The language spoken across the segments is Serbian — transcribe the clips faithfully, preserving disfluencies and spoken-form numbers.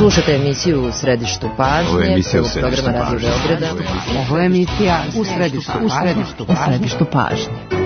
Slušate emisiju U središtu pažnje. Ovo je emisija U središtu pažnje. Ovo je emisija U središtu pažnje. U središtu pažnje.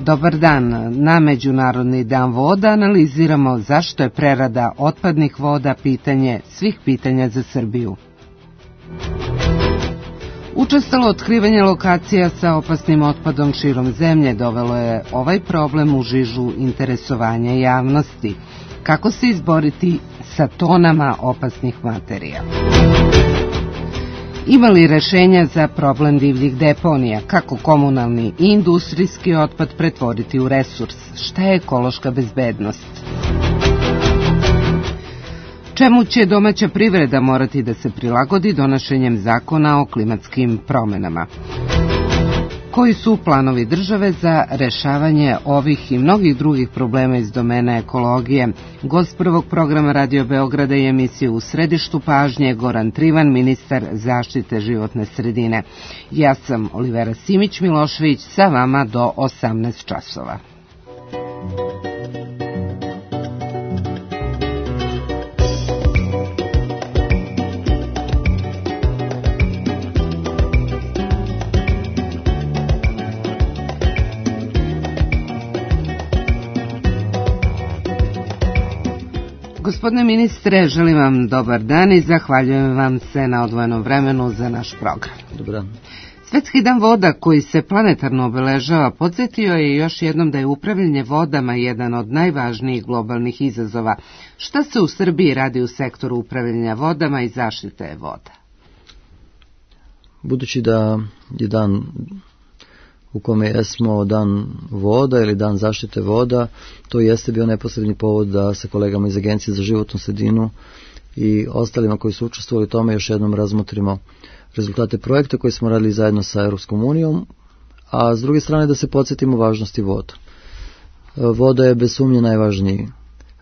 Dobar dan. Na Međunarodni dan voda analiziramo zašto je prerada otpadnih voda pitanje svih pitanja za Srbiju. Učestalo otkrivanje lokacija sa opasnim otpadom širom zemlje dovelo je ovaj problem u žižu interesovanja javnosti. Kako se izboriti sa tonama opasnih materija? Ima li rešenja za problem divljih deponija? Kako komunalni i industrijski otpad pretvoriti u resurs? Šta je ekološka bezbednost? Čemu će domaća privreda morati da se prilagodi donošenjem zakona o klimatskim promenama? Koji su planovi države za rešavanje ovih i mnogih drugih problema iz domena ekologije? Gost prvog programa Radio Beograda i emisije U središtu pažnje Goran Trivan, ministar zaštite životne sredine. Ja sam Olivera Simić-Milošević, sa vama do osamnaest časova. Gospodine ministre, želim vam dobar dan i zahvaljujem vam se na odvojenom vremenu za naš program. Dobar dan. Svetski dan voda, koji se planetarno obeležava, podsjetio je još jednom da je upravljanje vodama jedan od najvažnijih globalnih izazova. Šta se u Srbiji radi u sektoru upravljanja vodama i zaštite voda? Budući da je dan u kome jesmo dan voda ili dan zaštite voda, to jeste bio neposredni povod da sa kolegama iz Agencije za životnu sredinu i ostalima koji su učestvovali u tome još jednom razmotrimo rezultate projekta koji smo radili zajedno sa Europskom unijom, a s druge strane da se podsjetimo važnosti voda. Voda je bez sumnje najvažniji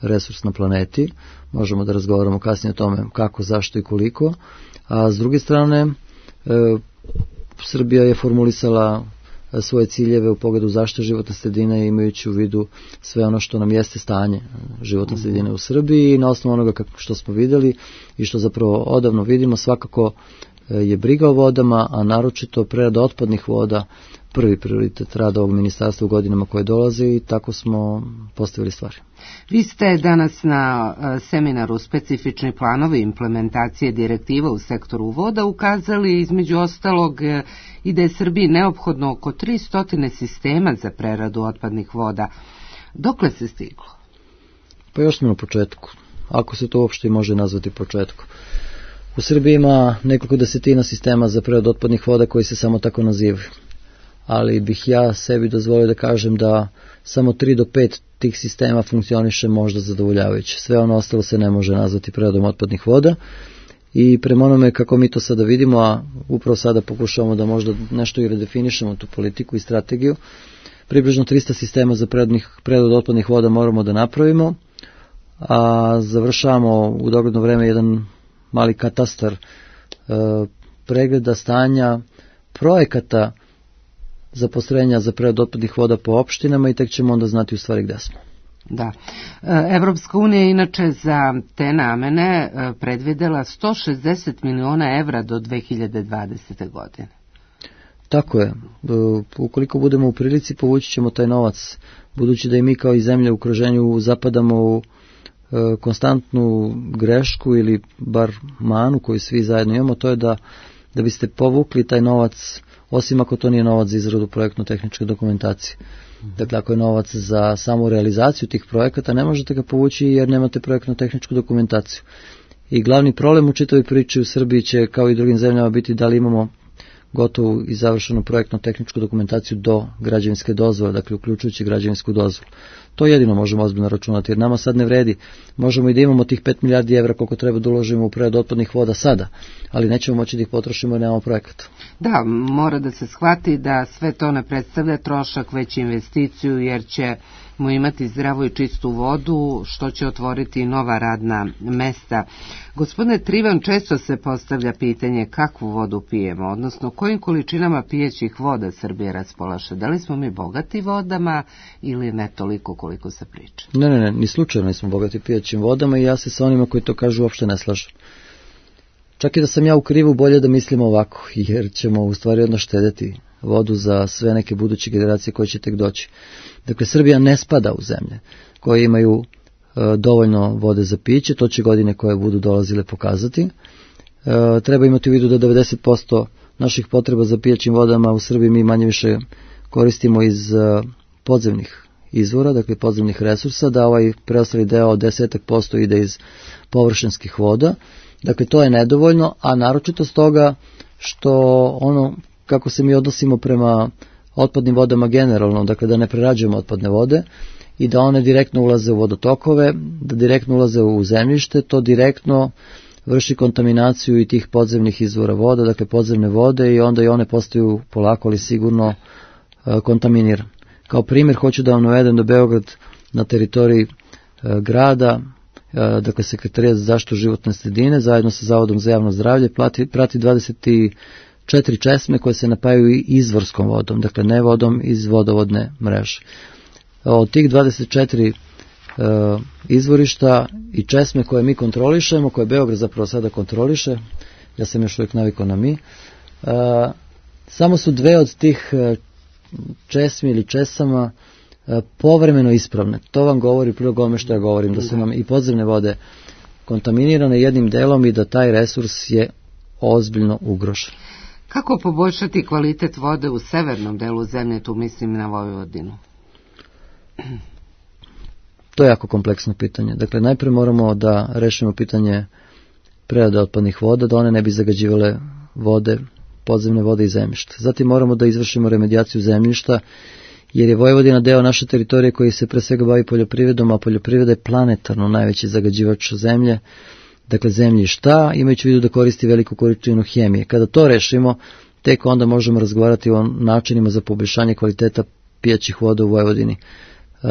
resurs na planeti, možemo da razgovaramo kasnije o tome kako, zašto i koliko, a s druge strane e, Srbija je formulisala svoje ciljeve u pogledu zaštite životne sredine, imajući u vidu sve ono što nam jeste stanje životne sredine u Srbiji i na osnovu onoga što smo vidjeli i što zapravo odavno vidimo, svakako je briga o vodama, a naročito prerada otpadnih voda prvi prioritet rada ovog ministarstva u godinama koje dolaze i tako smo postavili stvari. Vi ste danas na seminaru Specifični planovi implementacije direktiva u sektoru voda ukazali između ostalog i da je Srbiji neophodno oko tristo sistema za preradu otpadnih voda. Dokle se stiglo? Pa još smo na početku, ako se to uopšte može nazvati početku. U Srbiji ima nekoliko desetina sistema za preradu otpadnih voda koji se samo tako nazivaju, ali bih ja sebi dozvolio da kažem da samo tri do pet tih sistema funkcioniše možda zadovoljavajuće. Sve ono ostalo se ne može nazvati preradom otpadnih voda i prema onome kako mi to sada vidimo, a upravo sada pokušavamo da možda nešto i redefinišemo tu politiku i strategiju, približno trista sistema za preradu otpadnih voda moramo da napravimo, a završavamo u dogledno vreme jedan mali katastar e, pregleda stanja projekata za postrojenja za preradu otpadnih voda po opštinama i tek ćemo onda znati u stvari gde smo. Da. Evropska unija inače za te namene predvidela sto šezdeset miliona evra do dve hiljade dvadesete. godine. Tako je. Ukoliko budemo u prilici, povući ćemo taj novac, budući da i mi kao i zemlje u okruženju zapadamo u konstantnu grešku ili bar manu koju svi zajedno imamo, to je da, da biste povukli taj novac, osim ako to nije novac za izradu projektno-tehničke dokumentacije. Dakle, ako je novac za samu realizaciju tih projekata, ne možete ga povući jer nemate projektno-tehničku dokumentaciju. I glavni problem u čitavoj priči u Srbiji će, kao i drugim zemljama, biti da li imamo gotovu i završenu projektno-tehničku dokumentaciju do građevinske dozvole, dakle uključujući građevinsku dozvolu. To jedino možemo ozbiljno računati, jer nama sad ne vredi. Možemo i da imamo tih pet milijardi evra koliko treba da uložimo u preradu otpadnih voda sada, ali nećemo moći da ih potrošimo jer nemamo projekat. Da, mora da se shvati da sve to ne predstavlja trošak, već investiciju, jer ćemo imati zdravu i čistu vodu, što će otvoriti nova radna mesta. Gospodine Trivan, često se postavlja pitanje kakvu vodu pijemo, odnosno kojim količinama pijećih voda Srbije raspolaže. Da li smo mi bogati vodama ili ne toliko koliko se priča? Ne, ne, ne, ni slučajno nismo bogati pijećim vodama i ja se sa onima koji to kažu uopšte ne slažem. Čak i da sam ja u krivu, bolje da mislimo ovako, jer ćemo u stvari odno štedeti vodu za sve neke buduće generacije koje će tek doći. Dakle, Srbija ne spada u zemlje koje imaju e, dovoljno vode za piće, to će godine koje budu dolazile pokazati. E, treba imati u vidu da devedeset posto naših potreba za pijaćim vodama u Srbiji mi manje više koristimo iz e, podzemnih izvora, dakle podzemnih resursa, da ovaj preostali deo od deset posto ide iz površinskih voda. Dakle, to je nedovoljno, a naročito stoga što ono kako se mi odnosimo prema otpadnim vodama generalno, dakle da ne prerađujemo otpadne vode i da one direktno ulaze u vodotokove, da direktno ulaze u zemljište, to direktno vrši kontaminaciju i tih podzemnih izvora voda, dakle podzemne vode, i onda i one postaju polako ali sigurno e, kontaminirane. Kao primjer hoću da vam navedem da Beograd na teritoriji e, grada, e, dakle Sekretarijat za zaštitu životne sredine zajedno sa Zavodom za javno zdravlje plati, prati dvadeset četiri česme koje se napajaju izvorskom vodom, dakle ne vodom iz vodovodne mreže. Od tih dvadeset četiri e, izvorišta i česme koje mi kontrolišemo, koje Beograd zapravo sada kontroliše, ja sam još uvijek navikao na mi, e, samo su dve od tih česmi ili česama e, povremeno ispravne. To vam govori prilog ome što ja govorim, da su nam i podzemne vode kontaminirane jednim delom i da taj resurs je ozbiljno ugrožen. Kako poboljšati kvalitet vode u severnom delu zemlje, tu mislim na Vojvodinu? To je jako kompleksno pitanje. Dakle, najpre moramo da rešimo pitanje prerade otpadnih voda, da one ne bi zagađivale vode, podzemne vode i zemljišta. Zatim moramo da izvršimo remedijaciju zemljišta, jer je Vojvodina deo naše teritorije koji se pre svega bavi poljoprivredom, a poljoprivreda je planetarno najveći zagađivač zemlje, dakle zemljišta, imajući u vidu da koristi veliku količinu hemije. Kada to rešimo, tek onda možemo razgovarati o načinima za poboljšanje kvaliteta pijaćih voda u Vojvodini. E,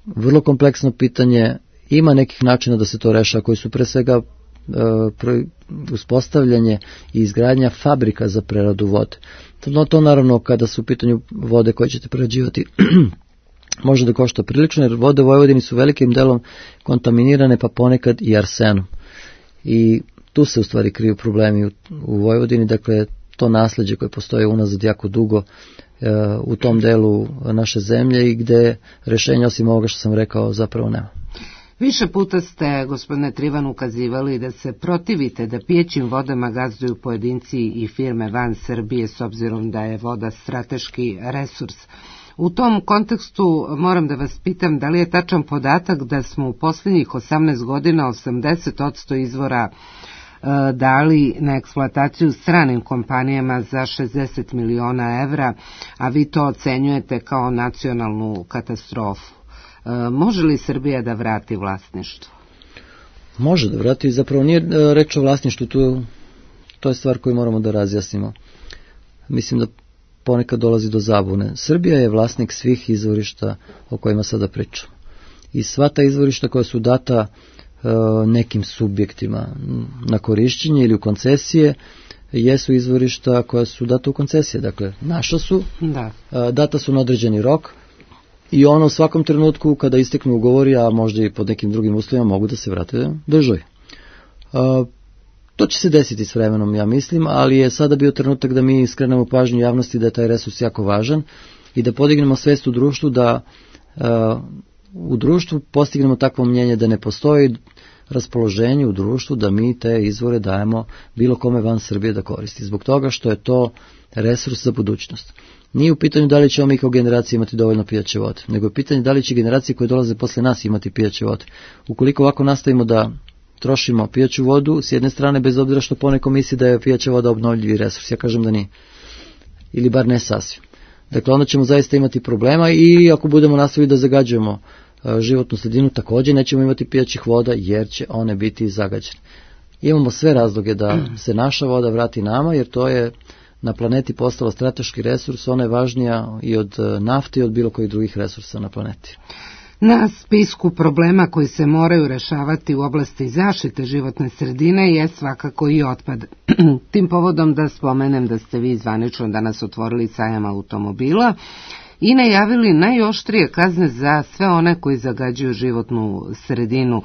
vrlo kompleksno pitanje, ima nekih načina da se to reša, koji su pre svega e, uspostavljanje i izgradnja fabrika za preradu vode. No, to naravno kada su u pitanju vode koje ćete prerađivati može da košta prilično, jer vode u Vojvodini su velikim delom kontaminirane, pa ponekad i arsenom. I tu se u stvari kriju problemi u, u Vojvodini, dakle to nasleđe koje postoje unazad jako dugo e, u tom delu naše zemlje i gde rešenja osim ovoga što sam rekao zapravo nema. Više puta ste, gospodine Trivan, ukazivali da se protivite da pijećim vodama gazduju pojedinci i firme van Srbije s obzirom da je voda strateški resurs. U tom kontekstu moram da vas pitam da li je tačan podatak da smo u posljednjih osamnaest godina osamdeset posto izvora e, dali na eksploataciju stranim kompanijama za šezdeset miliona evra, a vi to ocenjujete kao nacionalnu katastrofu. E, može li Srbija da vrati vlasništvo? Može da vrati, zapravo nije reč o vlasništvu, to, to je stvar koju moramo da razjasnimo. Mislim da ponekad dolazi do zabune. Srbija je vlasnik svih izvorišta o kojima sada pričamo. I sva ta izvorišta koja su data e, nekim subjektima na korišćenje ili u koncesije, jesu izvorišta koja su data u koncesije. Dakle, naša su, da. data su na određeni rok i ono u svakom trenutku kada isteknu ugovori, a možda i pod nekim drugim uslovima, mogu da se vrate državi. To će se desiti s vremenom, ja mislim, ali je sada bio trenutak da mi skrenemo pažnju javnosti da je taj resurs jako važan i da podignemo svest u društvu, da uh, u društvu postignemo takvo mnjenje da ne postoji raspoloženje u društvu da mi te izvore dajemo bilo kome van Srbije da koristi. Zbog toga što je to resurs za budućnost. Nije u pitanju da li ćemo mi kao generacija imati dovoljno pijaće vode, nego je pitanje da li će generacije koje dolaze posle nas imati pijaće vode. Ukoliko ovako nastavimo da trošimo pijaću vodu, s jedne strane, bez obzira što poneko misli da je pijaća voda obnovljivi resurs, ja kažem da nije. Ili bar ne sasvim. Dakle, onda ćemo zaista imati problema i ako budemo nastavili da zagađujemo životnu sredinu, također nećemo imati pijaćih voda jer će one biti zagađene. Imamo sve razloge da se naša voda vrati nama, jer to je na planeti postala strateški resurs, ona je važnija i od nafte i od bilo kojih drugih resursa na planeti. Na spisku problema koji se moraju rešavati u oblasti zaštite životne sredine je svakako i otpad. Tim povodom da spomenem da ste vi zvanično danas otvorili sajam automobila i najavili najoštrije kazne za sve one koji zagađuju životnu sredinu.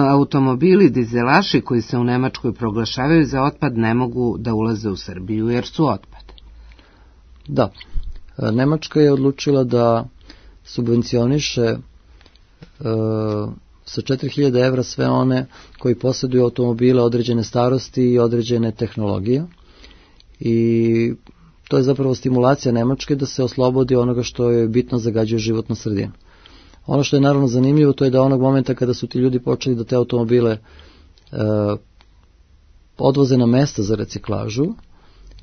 Automobili, dizelaši koji se u Nemačkoj proglašavaju za otpad ne mogu da ulaze u Srbiju jer su otpad. Da, Nemačka je odlučila da subvencioniše e, sa četiri hiljade evra sve one koji posjeduju automobile određene starosti i određene tehnologije i to je zapravo stimulacija Nemačke da se oslobodi onoga što je bitno zagađuje životnu sredinu. Ono što je naravno zanimljivo to je da onog momenta kada su ti ljudi počeli da te automobile e, odvoze na mesta za reciklažu,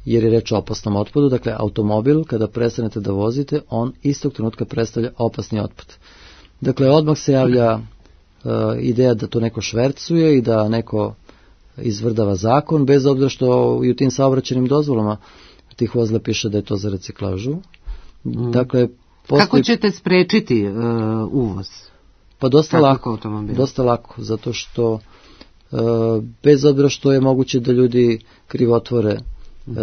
jer je reč o opasnom otpadu, dakle automobil kada prestanete da vozite, on istog trenutka predstavlja opasni otpad. Dakle, odmah se javlja e, ideja da to neko švercuje i da neko izvrdava zakon, bez obzira što i u tim saobraćajnim dozvolama tih vozila piše da je to za reciklažu. Mm. Dakle, postoji... Kako ćete sprečiti e, uvoz? Pa dosta lako, dosta lako, zato što e, bez obzira što je moguće da ljudi krivotvore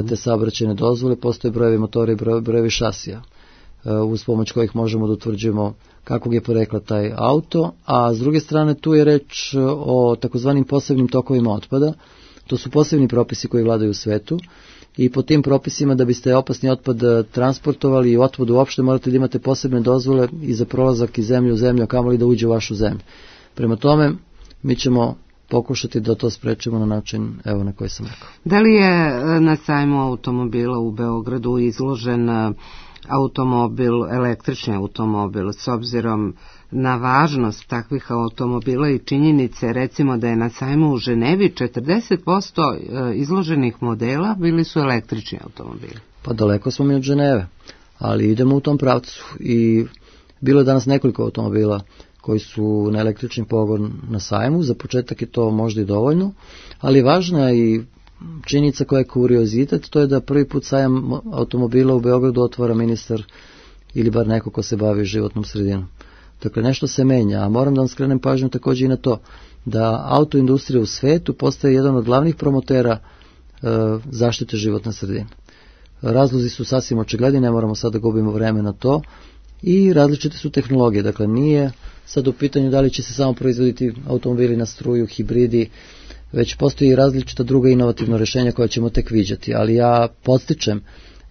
te saobraćajne dozvole, postoje brojevi motora i brojevi šasija uz pomoć kojih možemo da utvrđujemo kakvog je porekla taj auto, a s druge strane tu je reč o takozvanim posebnim tokovima otpada. To su posebni propisi koji vladaju u svetu i po tim propisima da biste opasni otpad transportovali i otpad uopšte morate da imate posebne dozvole i za prolazak iz zemlje u zemlju, a kamoli da uđe u vašu zemlju. Prema tome, mi ćemo pokušati da to sprečimo na način evo na koji sam rekao. Da li je na sajmu automobila u Beogradu izložen automobil, električni automobil, s obzirom na važnost takvih automobila i činjenice, recimo da je na sajmu u Ženevi četrdeset posto izloženih modela bili su električni automobili? Pa daleko smo mi od Ženeve, ali idemo u tom pravcu i bilo je danas nekoliko automobila koji su na električni pogon na sajmu. Za početak je to možda i dovoljno, ali važna i činjenica koja je kuriozitet, to je da prvi put sajam automobila u Beogradu otvara ministar ili bar neko ko se bavi životnom sredinom. Dakle, nešto se menja, a moram da vam skrenem pažnju također i na to da autoindustrija u svetu postaje jedan od glavnih promotera e, zaštite životne sredine. Razlozi su sasvim očigledni, ne moramo sad da gubimo vreme na to, i različite su tehnologije, dakle nije sad u pitanju da li će se samo proizvoditi automobili na struju, hibridi, već postoji i različita druga inovativna rješenja koja ćemo tek viđati, ali ja podstičem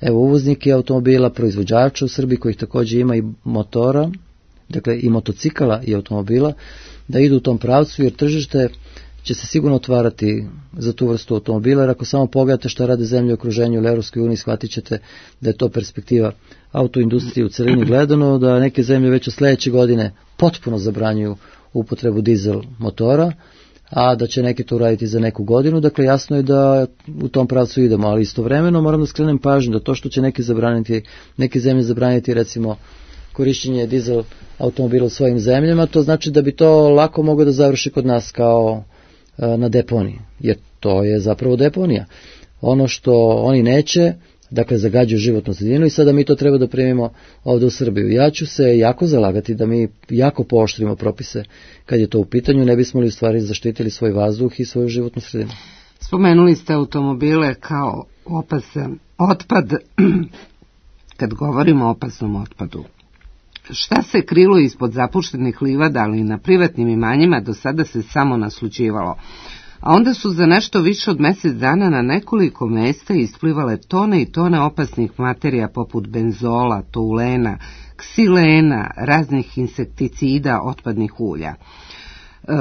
evo uvoznike automobila, proizvođača u Srbiji kojih također ima i motora, dakle i motocikala i automobila, da idu u tom pravcu jer tržište će se sigurno otvarati za tu vrstu automobila, jer ako samo pogledate šta rade zemlje u okruženju ili Europskoj uniji, shvatit ćete da je to perspektiva autoindustrije u celini gledano, da neke zemlje već od sljedeće godine potpuno zabranjuju upotrebu dizel motora, a da će neki to uraditi za neku godinu, dakle jasno je da u tom pravcu idemo, ali istovremeno moram da skrenem pažnju da to što će neki zabraniti, neke zemlje zabraniti recimo korišćenje dizel automobila u svojim zemljama, to znači da bi to lako moglo da završi kod nas kao na deponiji, jer to je zapravo deponija. Ono što oni neće, dakle zagađuju životnu sredinu i sada mi to treba da primimo ovdje u Srbiju. Ja ću se jako zalagati da mi jako pooštrimo propise kad je to u pitanju, ne bismo li u stvari zaštitili svoj vazduh i svoju životnu sredinu. Spomenuli ste automobile kao opasan otpad. Kad govorimo o opasnom otpadu, šta se krilo ispod zapuštenih livada, ali i na privatnim imanjima do sada se samo naslućivalo. A onda su za nešto više od mjesec dana na nekoliko mjesta isplivale tone i tone opasnih materija poput benzola, toulena, ksilena, raznih insekticida, otpadnih ulja. E,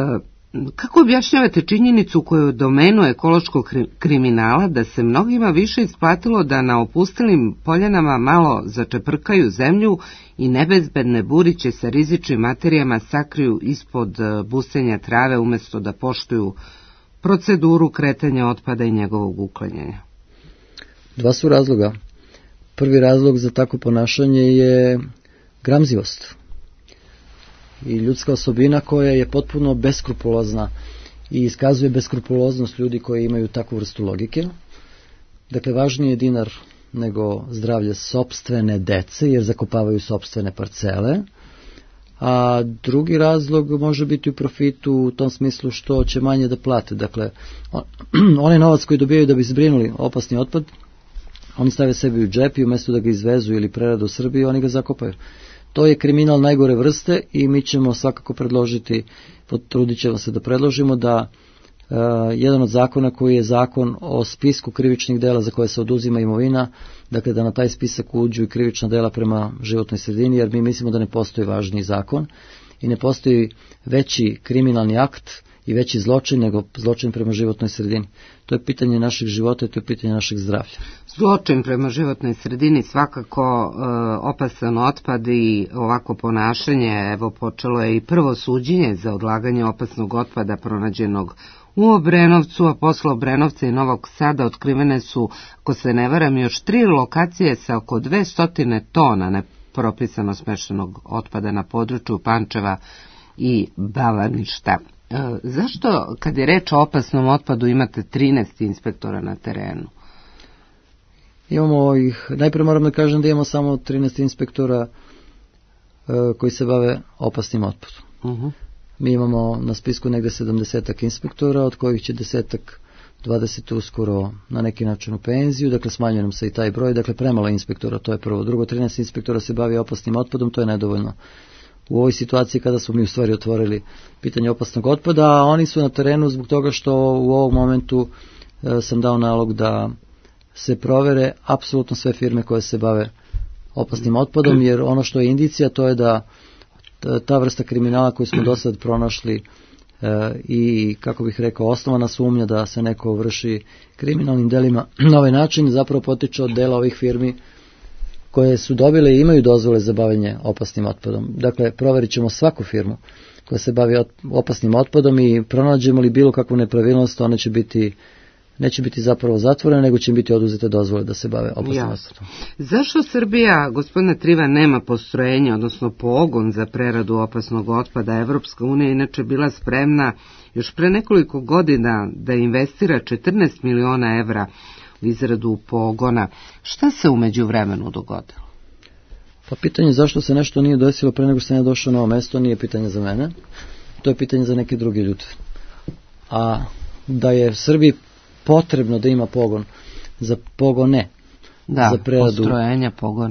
kako objašnjavate činjenicu koju domenu ekološkog kriminala da se mnogima više isplatilo da na opustilim poljanama malo začeprkaju zemlju i nebezbedne buriće sa rizičnim materijama sakriju ispod busenja trave umjesto da poštuju proceduru kretanja otpada i njegovog uklanjanja? Dva su razloga. Prvi razlog za takvo ponašanje je gramzivost i ljudska osobina koja je potpuno beskrupulozna i iskazuje beskrupuloznost ljudi koji imaju takvu vrstu logike. Dakle, važniji je dinar nego zdravlje sopstvene dece, jer zakopavaju sopstvene parcele. A drugi razlog može biti u profitu u tom smislu što će manje da plate. Dakle, on, onaj novac koji dobijaju da bi zbrinuli opasni otpad, oni stave sebi u džep i umjesto da ga izvezu ili prerade u Srbiji, oni ga zakopaju. To je kriminal najgore vrste i mi ćemo svakako predložiti, potrudit ćemo se da predložimo da uh, jedan od zakona koji je zakon o spisku krivičnih dela za koje se oduzima imovina, dakle da na taj spisak uđu i krivična dela prema životnoj sredini, jer mi mislimo da ne postoji važniji zakon i ne postoji veći kriminalni akt i veći zločin nego zločin prema životnoj sredini. To je pitanje našeg života i to je pitanje našeg zdravlja. Zločin prema životnoj sredini svakako e, opasan otpad i ovako ponašanje. Evo, počelo je i prvo suđenje za odlaganje opasnog otpada pronađenog u Obrenovcu, a posle Obrenovca i Novog Sada otkrivene su, ako se ne varam, još tri lokacije sa oko dvesta tona nepropisano smeštenog otpada na području Pančeva i Bavaništa. E, zašto, kad je reč o opasnom otpadu, imate trinaest inspektora na terenu? Imamo ih, najprije moram da kažem da imamo samo trinaest inspektora e, koji se bave opasnim otpadom. Uh-huh. Mi imamo na spisku negde sedamdesetak inspektora, od kojih će desetak, dvadeset uskoro na neki način u penziju, dakle smanjuje nam se i taj broj, dakle premalo inspektora, to je prvo. Drugo, trinaest inspektora se bavi opasnim otpadom, to je nedovoljno. U ovoj situaciji kada smo mi u stvari otvorili pitanje opasnog otpada, a oni su na terenu zbog toga što u ovom momentu e, sam dao nalog da se provere apsolutno sve firme koje se bave opasnim otpadom, jer ono što je indicija to je da ta vrsta kriminala koju smo do sad pronašli e, i, kako bih rekao, osnovana sumnja da se neko vrši kriminalnim delima na ovaj način zapravo potiče od dela ovih firmi koje su dobile i imaju dozvole za bavljanje opasnim otpadom. Dakle, proverit ćemo svaku firmu koja se bavi opasnim otpadom i pronađemo li bilo kakvu nepravilnost, one će biti, neće biti zapravo zatvorene, nego će biti oduzete dozvole da se bave opasnim Jasno. otpadom. Zašto Srbija, gospodine Triva, nema postrojenje, odnosno pogon za preradu opasnog otpada? Evropska unija inače bila spremna još pre nekoliko godina da investira četrnaest miliona evra u izradu pogona. Šta se u međuvremenu dogodilo? Pa pitanje zašto se nešto nije desilo pre nego što sam ja došao na ovo mesto nije pitanje za mene, to je pitanje za neke druge ljude. A da je Srbiji potrebno da ima pogon za pogone, da, za preradu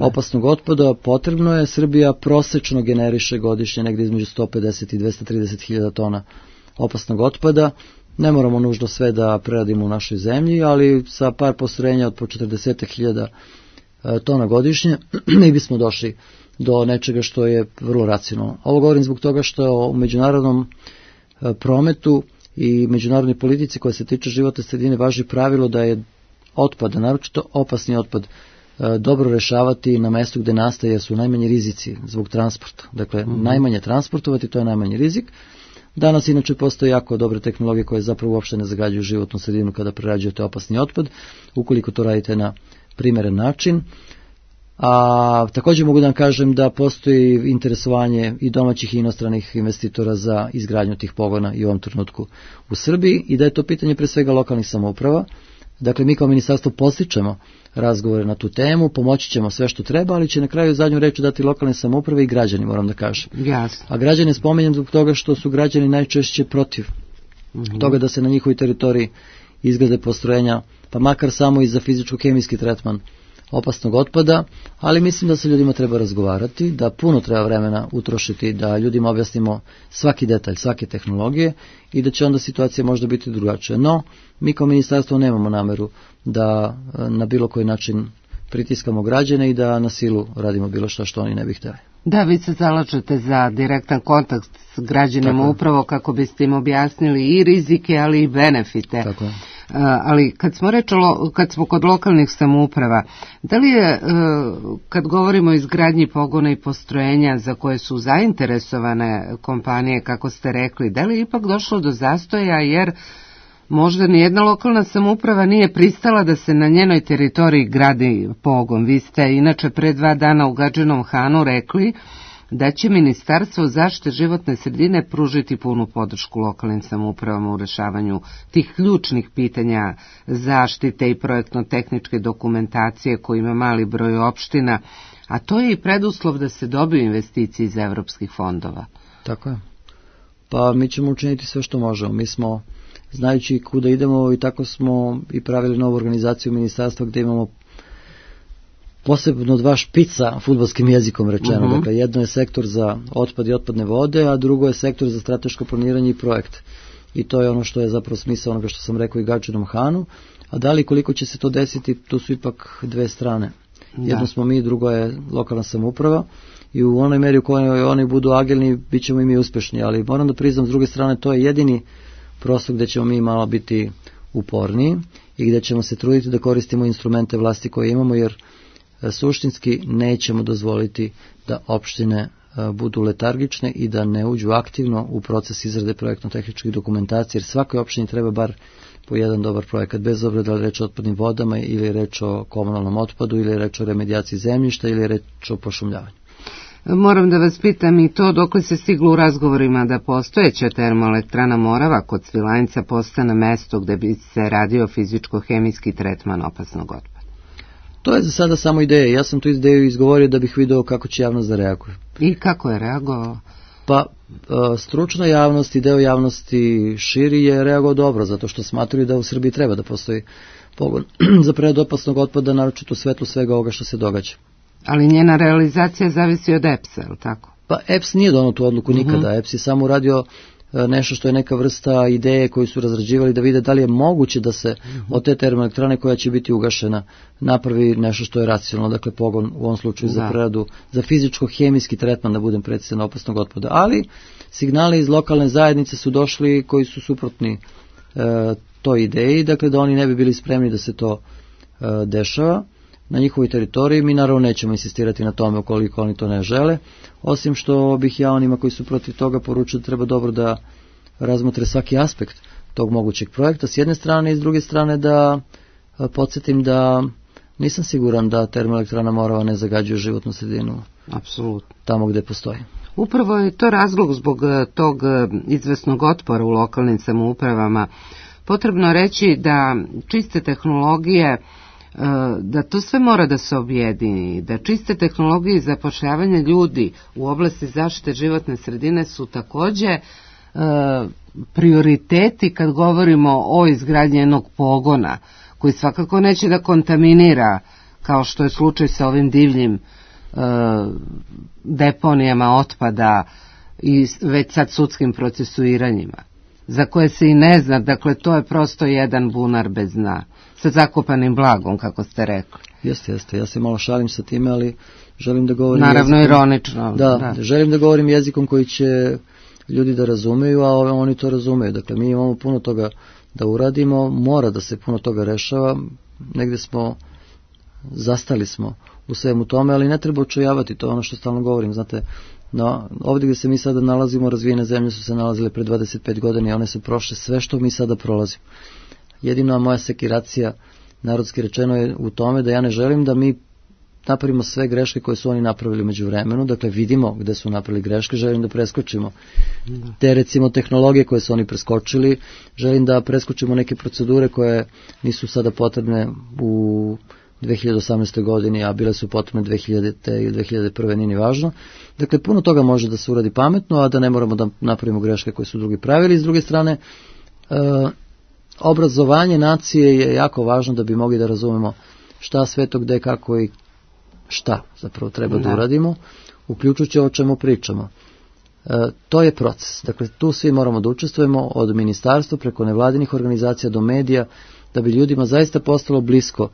opasnog otpada, potrebno je. Srbija prosečno generiše godišnje negdje između sto pedeset i dvesta trideset hiljada tona opasnog otpada. Ne moramo nužno sve da preradimo u našoj zemlji, ali sa par postrojenja od po četrdeset hiljada tona godišnje mi bismo došli do nečega što je vrlo racionalno. Ovo govorim zbog toga što u međunarodnom prometu i međunarodnoj politici koja se tiče životne sredine važi pravilo da je otpad, naročito opasni otpad, dobro rešavati na mestu gde nastaje, jer su najmanji rizici zbog transporta. Dakle, mm-hmm. najmanje transportovati, to je najmanji rizik. Danas inače postoje jako dobre tehnologije koje zapravo uopšte ne zagađuju životnu sredinu kada prerađujete opasni otpad, ukoliko to radite na primeren način. A također mogu da vam kažem da postoji interesovanje i domaćih i inostranih investitora za izgradnju tih pogona i u ovom trenutku u Srbiji i da je to pitanje pre svega lokalnih samouprava. Dakle, mi kao ministarstvo podstičemo razgovore na tu temu, pomoći ćemo sve što treba, ali će na kraju zadnju reč dati lokalne samouprave i građani, moram da kažem. Jasno. A građane spomenjem zbog toga što su građani najčešće protiv mm-hmm. toga da se na njihovoj teritoriji izgrade postrojenja, pa makar samo i za fizičko-hemijski tretman opasnog otpada, ali mislim da se ljudima treba razgovarati, da puno treba vremena utrošiti, da ljudima objasnimo svaki detalj, svake tehnologije i da će onda situacija možda biti drugačija. No, mi kao ministarstvo nemamo nameru da na bilo koji način pritiskamo građane i da na silu radimo bilo šta što oni ne bi htjeli. Da, vi se zalažete za direktan kontakt s građanima upravo kako biste im objasnili i rizike, ali i benefite. Tako je. Uh, ali kad smo reč, kad smo kod lokalnih samouprava, da li je, uh, kad govorimo o izgradnji pogona i postrojenja za koje su zainteresovane kompanije, kako ste rekli, da li je ipak došlo do zastoja, jer možda nijedna lokalna samouprava nije pristala da se na njenoj teritoriji gradi pogon? Vi ste inače pre dva dana u Gadžinom Hanu rekli da će Ministarstvo zaštite životne sredine pružiti punu podršku lokalnim samoupravama u rešavanju tih ključnih pitanja zaštite i projektno-tehničke dokumentacije koji ima mali broj opština, a to je i preduslov da se dobiju investicije iz evropskih fondova. Tako je. Pa mi ćemo učiniti sve što možemo. Mi smo, znajući kuda idemo, i tako smo i pravili novu organizaciju ministarstva gdje imamo posebno dva špica, fudbalskim jezikom rečeno. Uh-huh. Dakle, jedno je sektor za otpad i otpadne vode, a drugo je sektor za strateško planiranje i projekt. I to je ono što je zapravo smisao onoga što sam rekao i Gadžinom Hanu. A da li koliko će se to desiti, to su ipak dve strane. Da. Jedno smo mi, drugo je lokalna samouprava. I u onoj meri u kojoj oni budu agilni, bit ćemo i mi uspješni. Ali moram da priznam, s druge strane, to je jedini prostor gdje ćemo mi malo biti uporniji i gdje ćemo se truditi da koristimo instrumente vlasti koje imamo, jer suštinski nećemo dozvoliti da opštine budu letargične i da ne uđu aktivno u proces izrade projektno-tehničkih dokumentacija, jer svakoj opštini treba bar po jedan dobar projekat, bez obzira da li je reč o otpadnim vodama ili je reč o komunalnom otpadu ili je reč o remedijaciji zemljišta ili je reč o pošumljavanju. Moram da vas pitam i to, dok li se stiglo u razgovorima da postojeća termoelektrana Morava kod Svilajnca postane mesto gde bi se radio fizičko-hemijski tretman opasnog otpada? To je za sada samo ideja. Ja sam tu ideju izgovorio da bih video kako će javnost da reaguje. I kako je reagovao? Pa, stručna javnost i deo javnosti širi je reagovao dobro, zato što smatruju da u Srbiji treba da postoji pogon za preradu opasnog otpada, naročito u svetlu svega ovoga što se događa. Ali njena realizacija zavisi od E P S a, je li tako? Pa E P S nije donao tu odluku nikada. Uh-huh. E P S je samo uradio nešto što je neka vrsta ideje koju su razrađivali da vide da li je moguće da se uh-huh. od te termoelektrane koja će biti ugašena napravi nešto što je racionalno, dakle pogon u ovom slučaju da. za preradu, za fizičko-hemijski tretman, da budem precizan, opasnog otpada. Ali signali iz lokalne zajednice su došli koji su suprotni e, toj ideji, dakle da oni ne bi bili spremni da se to e, dešava na njihovoj teritoriji. Mi naravno nećemo insistirati na tome ukoliko oni to ne žele, osim što bih ja onima koji su protiv toga poručio da treba dobro da razmotre svaki aspekt tog mogućeg projekta s jedne strane i s druge strane da podsjetim da nisam siguran da termoelektrana Morava ne zagađuje životnu sredinu. Apsolutno. Tamo gde postoji. Upravo je to razlog zbog tog izvesnog otpora u lokalnim samoupravama. Potrebno reći da čiste tehnologije, da to sve mora da se objedini, da čiste tehnologije i zapošljavanje ljudi u oblasti zaštite životne sredine su takođe e, prioriteti kad govorimo o izgradnji jednog pogona, koji svakako neće da kontaminira, kao što je slučaj sa ovim divljim e, deponijama otpada i već sad sudskim procesuiranjima, za koje se i ne zna, dakle to je prosto jedan bunar bez dna, sa zakopanim blagom, kako ste rekli. Jeste, jeste, ja se malo šalim sa time, ali želim da govorim naravno jezikom, ironično. Da, da, želim da govorim jezikom koji će ljudi da razumeju, a oni to razumeju. Dakle, mi imamo puno toga da uradimo, mora da se puno toga rešava, negde smo, zastali smo u svemu tome, ali ne treba očajavati, to je ono što stalno govorim, znate. No, ovdje gdje se mi sada nalazimo, razvijene zemlje su se nalazile pre dvadeset pet godina i one su prošle sve što mi sada prolazimo. Jedina moja sekiracija, narodski rečeno, je u tome da ja ne želim da mi napravimo sve greške koje su oni napravili među vremenu, dakle vidimo gde su napravili greške, želim da preskočimo te recimo tehnologije koje su oni preskočili, želim da preskočimo neke procedure koje nisu sada potrebne u dve hiljade osamnaestoj godini, a bile su potrebne dve hiljadite i dve hiljade prve, nije ni važno. Dakle, puno toga može da se uradi pametno, a da ne moramo da napravimo greške koje su drugi pravili. S druge strane, uh, obrazovanje nacije je jako važno da bi mogli da razumemo šta sve to, gde, kako i šta zapravo treba da, da uradimo, uključujući o čemu pričamo. E, to je proces. Dakle, tu svi moramo da učestvujemo, od ministarstva preko nevladinih organizacija do medija, da bi ljudima zaista postalo blisko.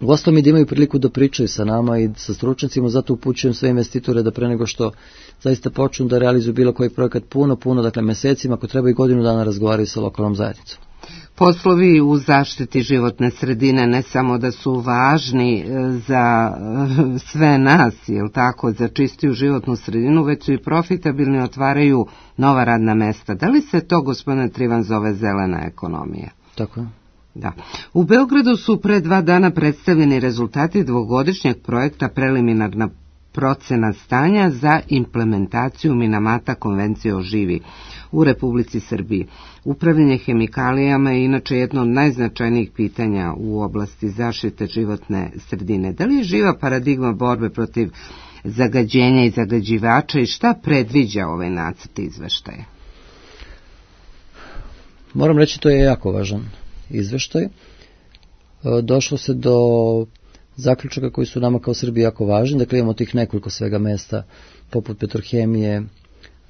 Uostalom i da imaju priliku da pričaju sa nama i sa stručnjacima, zato upućujem sve investitore da pre nego što zaista počnu da realizuju bilo koji projekat puno, puno, dakle mesecima, ako treba i godinu dana razgovaraju sa lokalnom zajednicom. Poslovi u zaštiti životne sredine ne samo da su važni za sve nas, jel tako, za čistiju životnu sredinu, već su i profitabilni, otvaraju nova radna mesta. Da li se to, gospodine Trivan, zove zelena ekonomija? Tako je. Da. U Beogradu su pre dva dana predstavljeni rezultati dvogodišnjeg projekta preliminarna procena stanja za implementaciju Minamata konvencije o živi u Republici Srbiji. Upravljanje hemikalijama je inače jedno od najznačajnijih pitanja u oblasti zaštite životne sredine. Da li je živa paradigma borbe protiv zagađenja i zagađivača i šta predviđa ovaj nacrt izveštaja? Moram reći, to je jako važan izveštaj. Došlo se do zaključaka koji su nama kao Srbiji jako važni. Dakle, imamo tih nekoliko svega mesta, poput Petrohemije,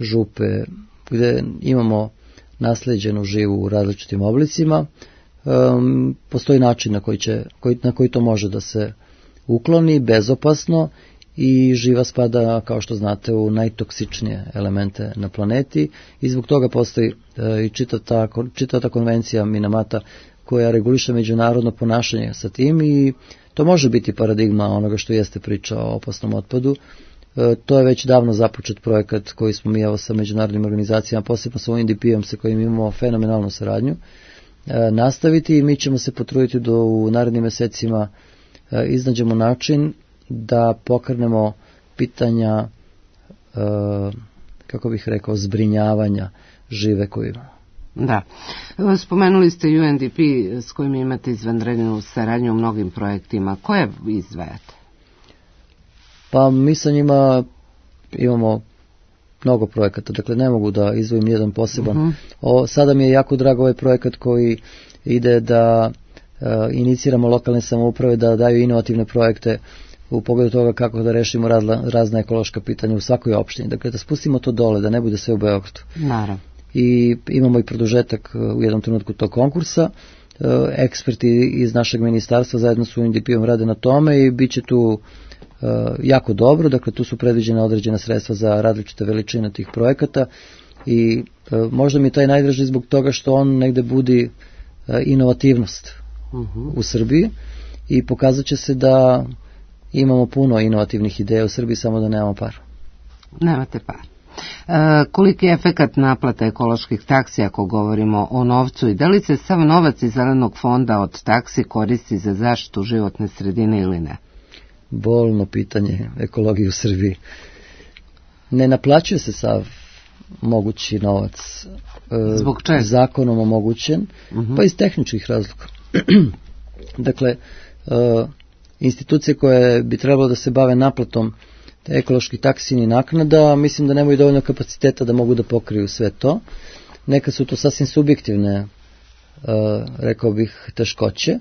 Župe, gde imamo nasleđenu živu u različitim oblicima. Um, postoji način na koji, će, koji, na koji to može da se ukloni, bezopasno, i živa spada, kao što znate, u najtoksičnije elemente na planeti i zbog toga postoji e, i čitava ta, čitava ta konvencija Minamata koja reguliše međunarodno ponašanje sa tim, i to može biti paradigma onoga što jeste priča o opasnom otpadu. E, to je već davno započet projekat koji smo mi evo sa međunarodnim organizacijama, posebno sa U N D P-om sa kojim imamo fenomenalnu saradnju, e, nastaviti, i mi ćemo se potruditi da u narednim mesecima e, iznađemo način da pokrenemo pitanja, e, kako bih rekao, zbrinjavanja žive koju imamo. Da. Spomenuli ste U N D P s kojim imate izvanrednu saradnju u mnogim projektima. Koje izdvajate? Pa mi sa njima imamo mnogo projekata, dakle ne mogu da izdvojim jedan poseban. Uh-huh. O, sada mi je jako drago ovaj projekat koji ide da e, iniciramo lokalne samouprave da daju inovativne projekte u pogledu toga kako da rešimo razla, razna ekološka pitanja u svakoj opštini. Dakle, da spustimo to dole, da ne bude sve u Beogradu. Naravno. I imamo i produžetak u jednom trenutku tog konkursa. Eksperti iz našeg ministarstva zajedno s U N D P-om rade na tome i bit će tu jako dobro. Dakle, tu su predviđene određena sredstva za različite veličine tih projekata i možda mi je taj najdraži zbog toga što on negde budi inovativnost uh-huh. u Srbiji i pokazat će se da imamo puno inovativnih ideja u Srbiji, samo da nemamo par. Nemate par. E, koliki je efekat naplata ekoloških taksi ako govorimo o novcu i da li se sav novac iz zelenog fonda od taksi koristi za zaštitu životne sredine ili ne? Bolno pitanje ekologije u Srbiji. Ne naplaćuje se sav mogući novac. E, Zbog čega? Zakonom omogućen, uh-huh. pa iz tehničkih razloga. Dakle, e, institucije koje bi trebalo da se bave naplatom ekoloških taksini naknada, mislim da nemaju dovoljno kapaciteta da mogu da pokriju sve to. Neka su to sasvim subjektivne, uh, rekao bih, teškoće.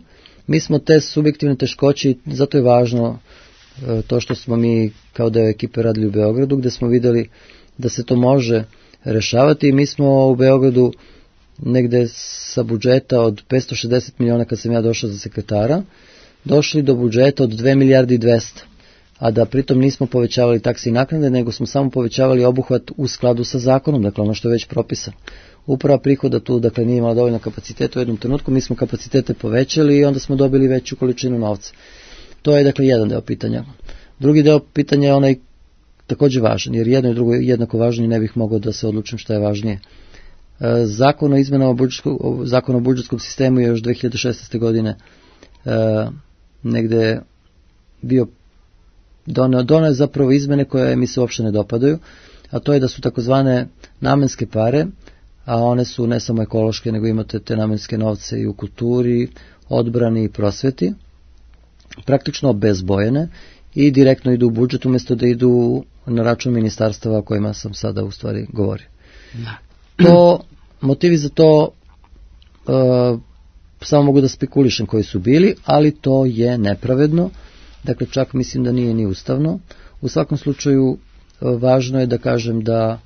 Mi smo te subjektivne teškoće i zato je važno uh, to što smo mi kao deo ekipe radili u Beogradu, gde smo videli da se to može rešavati i mi smo u Beogradu negde sa budžeta od petsto šezdeset miliona kad sam ja došao za sekretara, došli do budžeta od dve milijarde i dvesta, a da pritom nismo povećavali taksi i naknade, nego smo samo povećavali obuhvat u skladu sa zakonom, dakle ono što je već propisano. Uprava prihoda tu, dakle, nije imala dovoljno kapaciteta u jednom trenutku, mi smo kapacitete povećali i onda smo dobili veću količinu novca. To je, dakle, jedan deo pitanja. Drugi deo pitanja je onaj takođe važan, jer jedno i drugo je jednako važno i ne bih mogao da se odlučim šta je važnije. Zakon o izmenama budžetskog, zakon o budžetskom sistemu je još dve hiljade šesnaeste. godine e, negde bio doneo, doneo zapravo izmene koje mi se uopšte ne dopadaju, a to je da su takozvane namenske pare, a one su ne samo ekološke, nego imate te namenske novce i u kulturi, odbrani i prosveti, praktično bezbojene i direktno idu u budžet umjesto da idu na račun ministarstava o kojima sam sada u stvari govorio. To, motivi za to uh, samo mogu da spekulišem koji su bili, ali to je nepravedno, dakle čak mislim da nije ni ustavno. U svakom slučaju uh, važno je da kažem da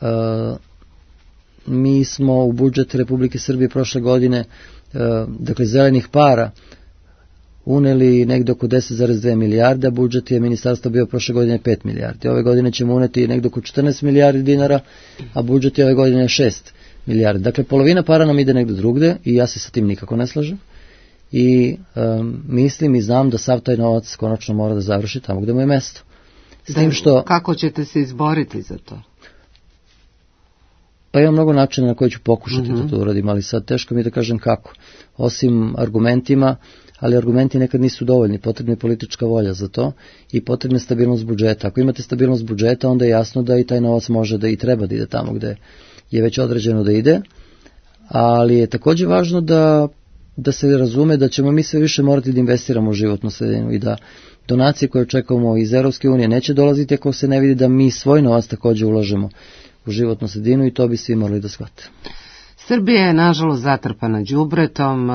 uh, mi smo u budžet Republike Srbije prošle godine, uh, dakle zelenih para, uneli negde oko deset zarez dve milijarde, a budžet je ministarstva bio prošle godine pet milijardi. Ove godine ćemo uneti negde oko četrnaest milijardi dinara, a budžet je ove godine šest milijardi. Dakle, polovina para nam ide negde drugde i ja se sa tim nikako ne slažem. I um, mislim i znam da sav taj novac konačno mora da završi tamo gde mu je mesto. S tim što... Kako ćete se izboriti za to? Pa imam mnogo načina na koji ću pokušati mm-hmm. da to uradim, ali sad teško mi da kažem kako. Osim argumentima, ali argumenti nekad nisu dovoljni, potrebna je politička volja za to i potrebna je stabilnost budžeta. Ako imate stabilnost budžeta, onda je jasno da i taj novac može da i treba da ide tamo gde je već određeno da ide, ali je takođe važno da, da se razume da ćemo mi sve više morati da investiramo u životnu sredinu i da donacije koje očekujemo iz Evropske unije neće dolaziti ako se ne vidi da mi svoj novac takođe ulažemo u životnu sredinu i to bi svi morali da shvate. Srbija je nažalost zatrpana đubretom,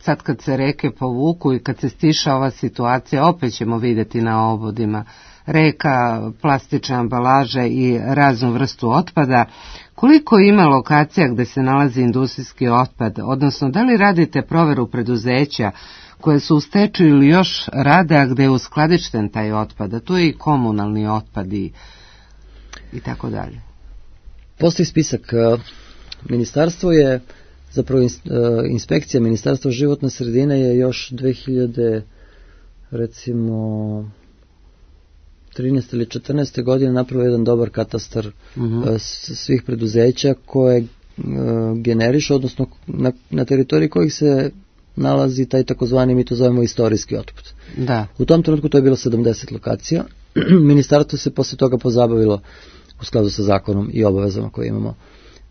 sad kad se reke povuku i kad se stiša ova situacija, opet ćemo vidjeti na obodima reka, plastične ambalaže i raznu vrstu otpada. Koliko ima lokacija gde se nalazi industrijski otpad, odnosno da li radite proveru preduzeća koje su u stečaju ili još rade, a gde je uskladišten taj otpad, a tu je i komunalni otpad i, i tako dalje? Postoji spisak. Ministarstvo je, zapravo inspekcija Ministarstva životne sredine je još dve hiljade recimo trinaeste ili četrnaeste godine napravio jedan dobar katastar uh-huh. svih preduzeća koje generiše, odnosno na, na teritoriji kojih se nalazi taj takozvani, mi to zovemo istorijski otpad. Da. U tom trenutku to je bilo sedamdeset lokacija. Ministarstvo se posle toga pozabavilo u skladu sa zakonom i obavezama koje imamo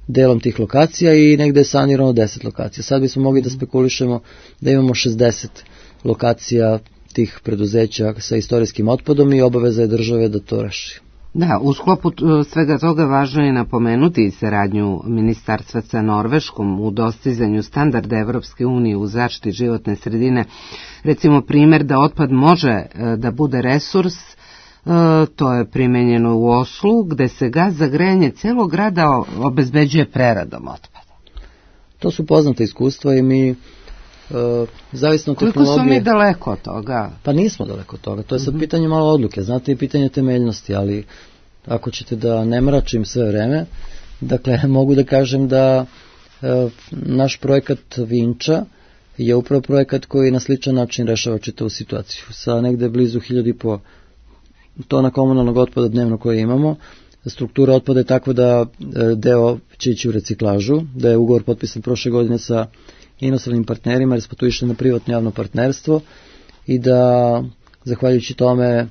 delom tih lokacija i negde je sanirano deset lokacija. Sad bismo mogli da spekulišemo da imamo šezdeset lokacija tih preduzeća sa istorijskim otpadom i obaveza je države da to reši. Da, u sklopu svega toga važno je napomenuti i saradnju ministarstva sa Norveškom u dostizanju standarda Evropske unije u zaštiti životne sredine. Recimo primjer da otpad može da bude resurs, to je primenjeno u Oslu, gde se gas za grejanje celog grada obezbeđuje preradom otpada. To su poznate iskustva i mi Uh, zavisno od tehnologije... Koliko su mi daleko od toga? Pa nismo daleko od toga, to je sad uh-huh. pitanje malo odluke, znate i pitanje temeljnosti, ali ako ćete da ne mračim sve vreme, dakle mogu da kažem da uh, naš projekat Vinča je upravo projekat koji na sličan način rešava čitavu situaciju. Sa negde blizu hiljadu i po tona komunalnog otpada dnevno koje imamo, struktura otpada je takva da uh, deo će ići u reciklažu, da je ugovor potpisan prošle godine sa inostranim partnerima, jer smo tu išli na privatno javno partnerstvo i da, zahvaljujući tome,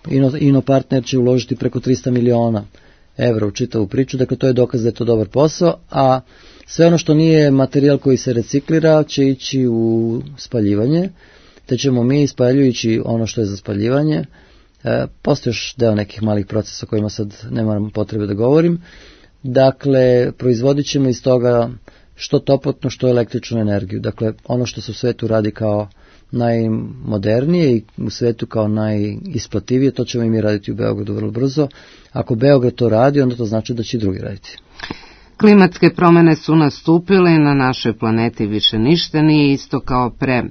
Ino, Ino partner će uložiti preko trista miliona evra u čitavu priču, dakle to je dokaz da je to dobar posao, a sve ono što nije materijal koji se reciklira će ići u spaljivanje, te ćemo mi, spaljujući ono što je za spaljivanje, e, postoji još deo nekih malih procesa o kojima sad nemam potrebe da govorim, dakle proizvodit ćemo iz toga što toplotnu, što električnu energiju. Dakle, ono što se u svetu radi kao najmodernije i u svetu kao najisplativije, to ćemo i mi raditi u Beogradu vrlo brzo. Ako Beograd to radi, onda to znači da će i drugi raditi. Klimatske promene su nastupile na našoj planeti, više ništa nije isto kao pre.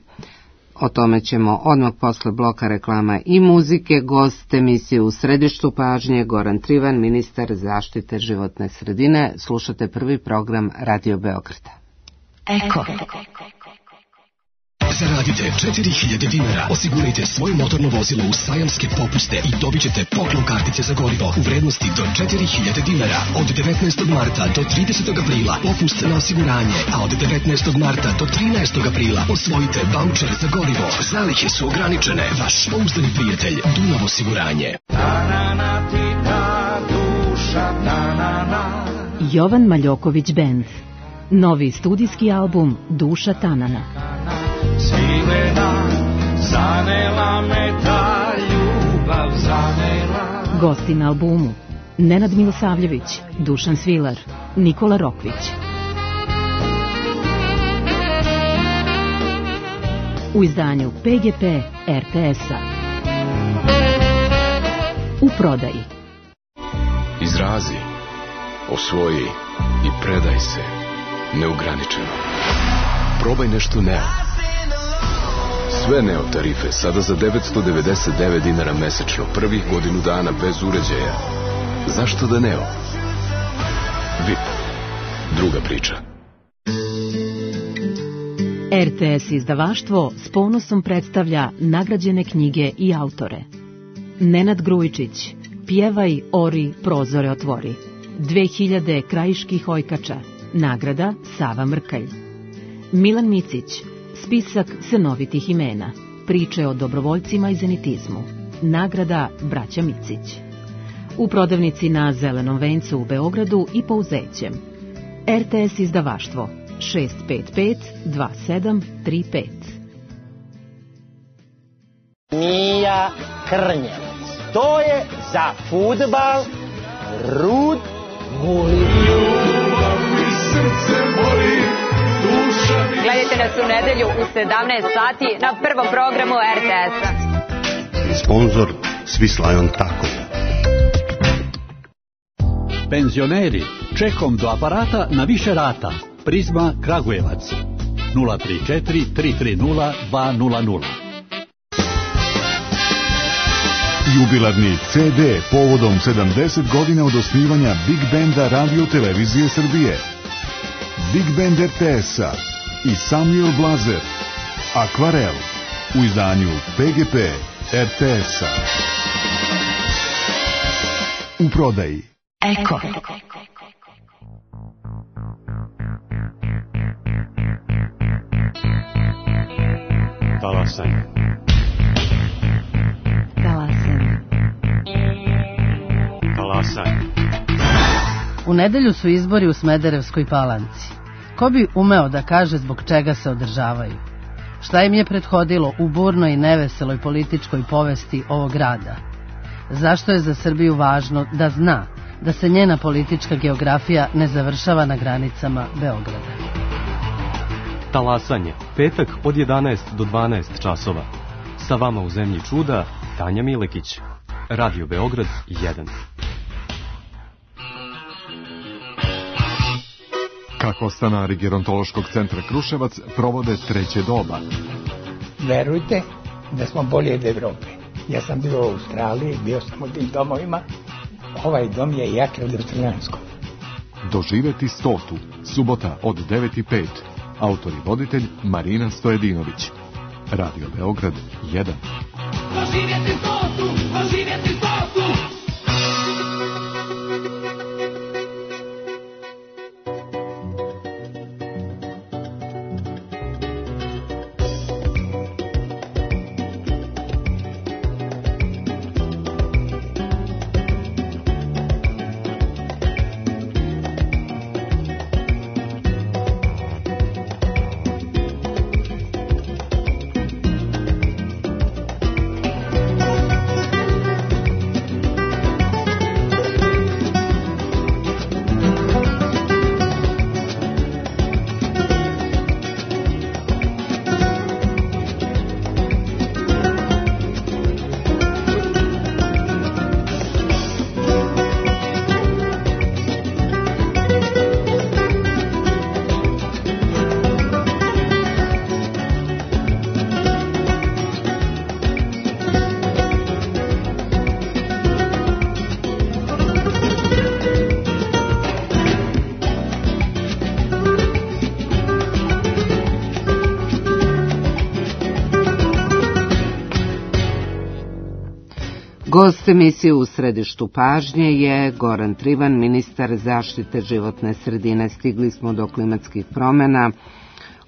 O tome ćemo odmah posle bloka reklama i muzike. Gost emisije U središtu pažnje Goran Trivan, ministar zaštite životne sredine. Slušate prvi program Radio Beograda. Eko. Zaradite četiri hiljade dinara, osigurajte svoje motorno vozilo u sajamske popuste i dobit ćete poklon kartice za gorivo u vrednosti do četiri hiljade dinara. Od devetnaestog marta do tridesetog aprila popust na osiguranje, a od devetnaestog marta do trinaestog aprila osvojite vaučer za gorivo. Zalihe su ograničene. Vaš pouzdani prijatelj Dunav osiguranje. Jovan Maljoković Band. Novi studijski album Duša Tanana. Svilena, zanela me ta ljubav, zanela. Gosti na albumu: Nenad Milosavljević, Dušan Svilar, Nikola Rokvić. u izdanju P G P R T S-a. U prodaji. Izrazi, osvoji i predaj se neograničeno. Probaj nešto Neo. Sve Neo tarife sada za devetsto devedeset devet dinara mesečno, prvih godinu dana bez uređaja. Zašto da Neo? V I P. Druga priča. R T S izdavaštvo s ponosom predstavlja nagrađene knjige i autore. Nenad Grujičić, Pjevaj, ori, prozore otvori. dve hiljade krajiških ojkača. Nagrada Sava Mrkalj. Milan Micić, Spisak cenovitih imena. Priče o dobrovoljcima i zenitizmu. Nagrada Braća Micić. U prodavnici na Zelenom vencu u Beogradu i Pouzećem. R T S izdavaštvo šest pet pet dva sedam tri pet. Mija Krnjevac. To je za fudbal Rud Gulin. Gledajte nas u nedelju u sedamnaest sati na prvom programu R T S-a. Sponzor Swiss Tako. Penzioneri, čekom do aparata na više rata. Prizma Kragujevac. nula tri četiri tri tri nula dva nula nula. Jubilarni C D povodom sedamdeset godina od osnivanja Big Benda Radio Televizije Srbije. Big Band R T S-a i Samuel Blazer. Akvarel u izdanju P G P R T S-a. U prodaji. Eko. Talasanje. Talasanje. Talasanje. U nedelju su izbori u Smederevskoj Palanci. Ko bi umeo da kaže zbog čega se održavaju? Šta im je prethodilo u burnoj i neveseloj političkoj povesti ovog grada? Zašto je za Srbiju važno da zna da se njena politička geografija ne završava na granicama Beograda? Talasanje, petak od jedanaest do dvanaest časova. Sa vama u Zemlji čuda, Tanja Milekić. Radio Beograd jedan. Kako stanari Gerontološkog centra Kruševac provode treće doba? Verujte da smo bolje od Evrope. Ja sam bio u Australiji, bio sam u tim domovima. Ovaj dom je jak od australijanskog. Doživeti stotu, subota od devet i pet. Autor i voditelj Marina Stojedinović. Radio Beograd jedan. Doživjeti stotu, doživjeti stotu. Gost emisije U središtu pažnje je Goran Trivan, ministar zaštite životne sredine. Stigli smo do klimatskih promjena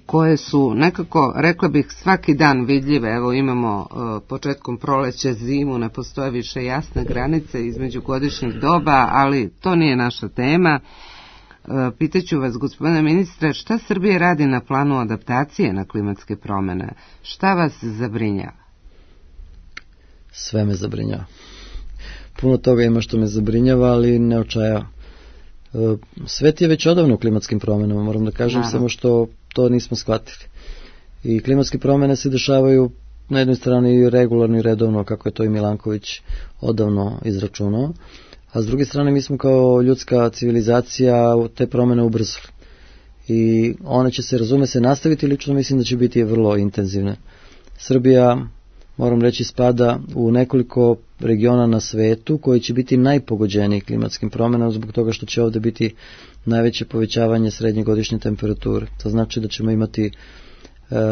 koje su nekako, rekla bih, svaki dan vidljive. Evo imamo uh, početkom proleća zimu, ne postoje više jasne granice između godišnjih doba, ali to nije naša tema. Uh, pitaću vas, gospodine ministre, šta Srbija radi na planu adaptacije na klimatske promjene? Šta vas zabrinjava? Sve me zabrinjava. Puno toga ima što me zabrinjava, ali ne očajava. Svet je već odavno u klimatskim promjenama, moram da kažem, Naravno. samo što to nismo shvatili. I klimatske promjene se dešavaju na jednoj strani regularno i redovno, kako je to i Milanković odavno izračunao, a s druge strane mi smo kao ljudska civilizacija te promjene ubrzali. I one će se, razume se, nastaviti, lično mislim da će biti vrlo intenzivne. Srbija, moram reći, spada u nekoliko regiona na svetu koji će biti najpogođeniji klimatskim promjenama zbog toga što će ovdje biti najveće povećavanje srednje godišnje temperature. To znači da ćemo imati e,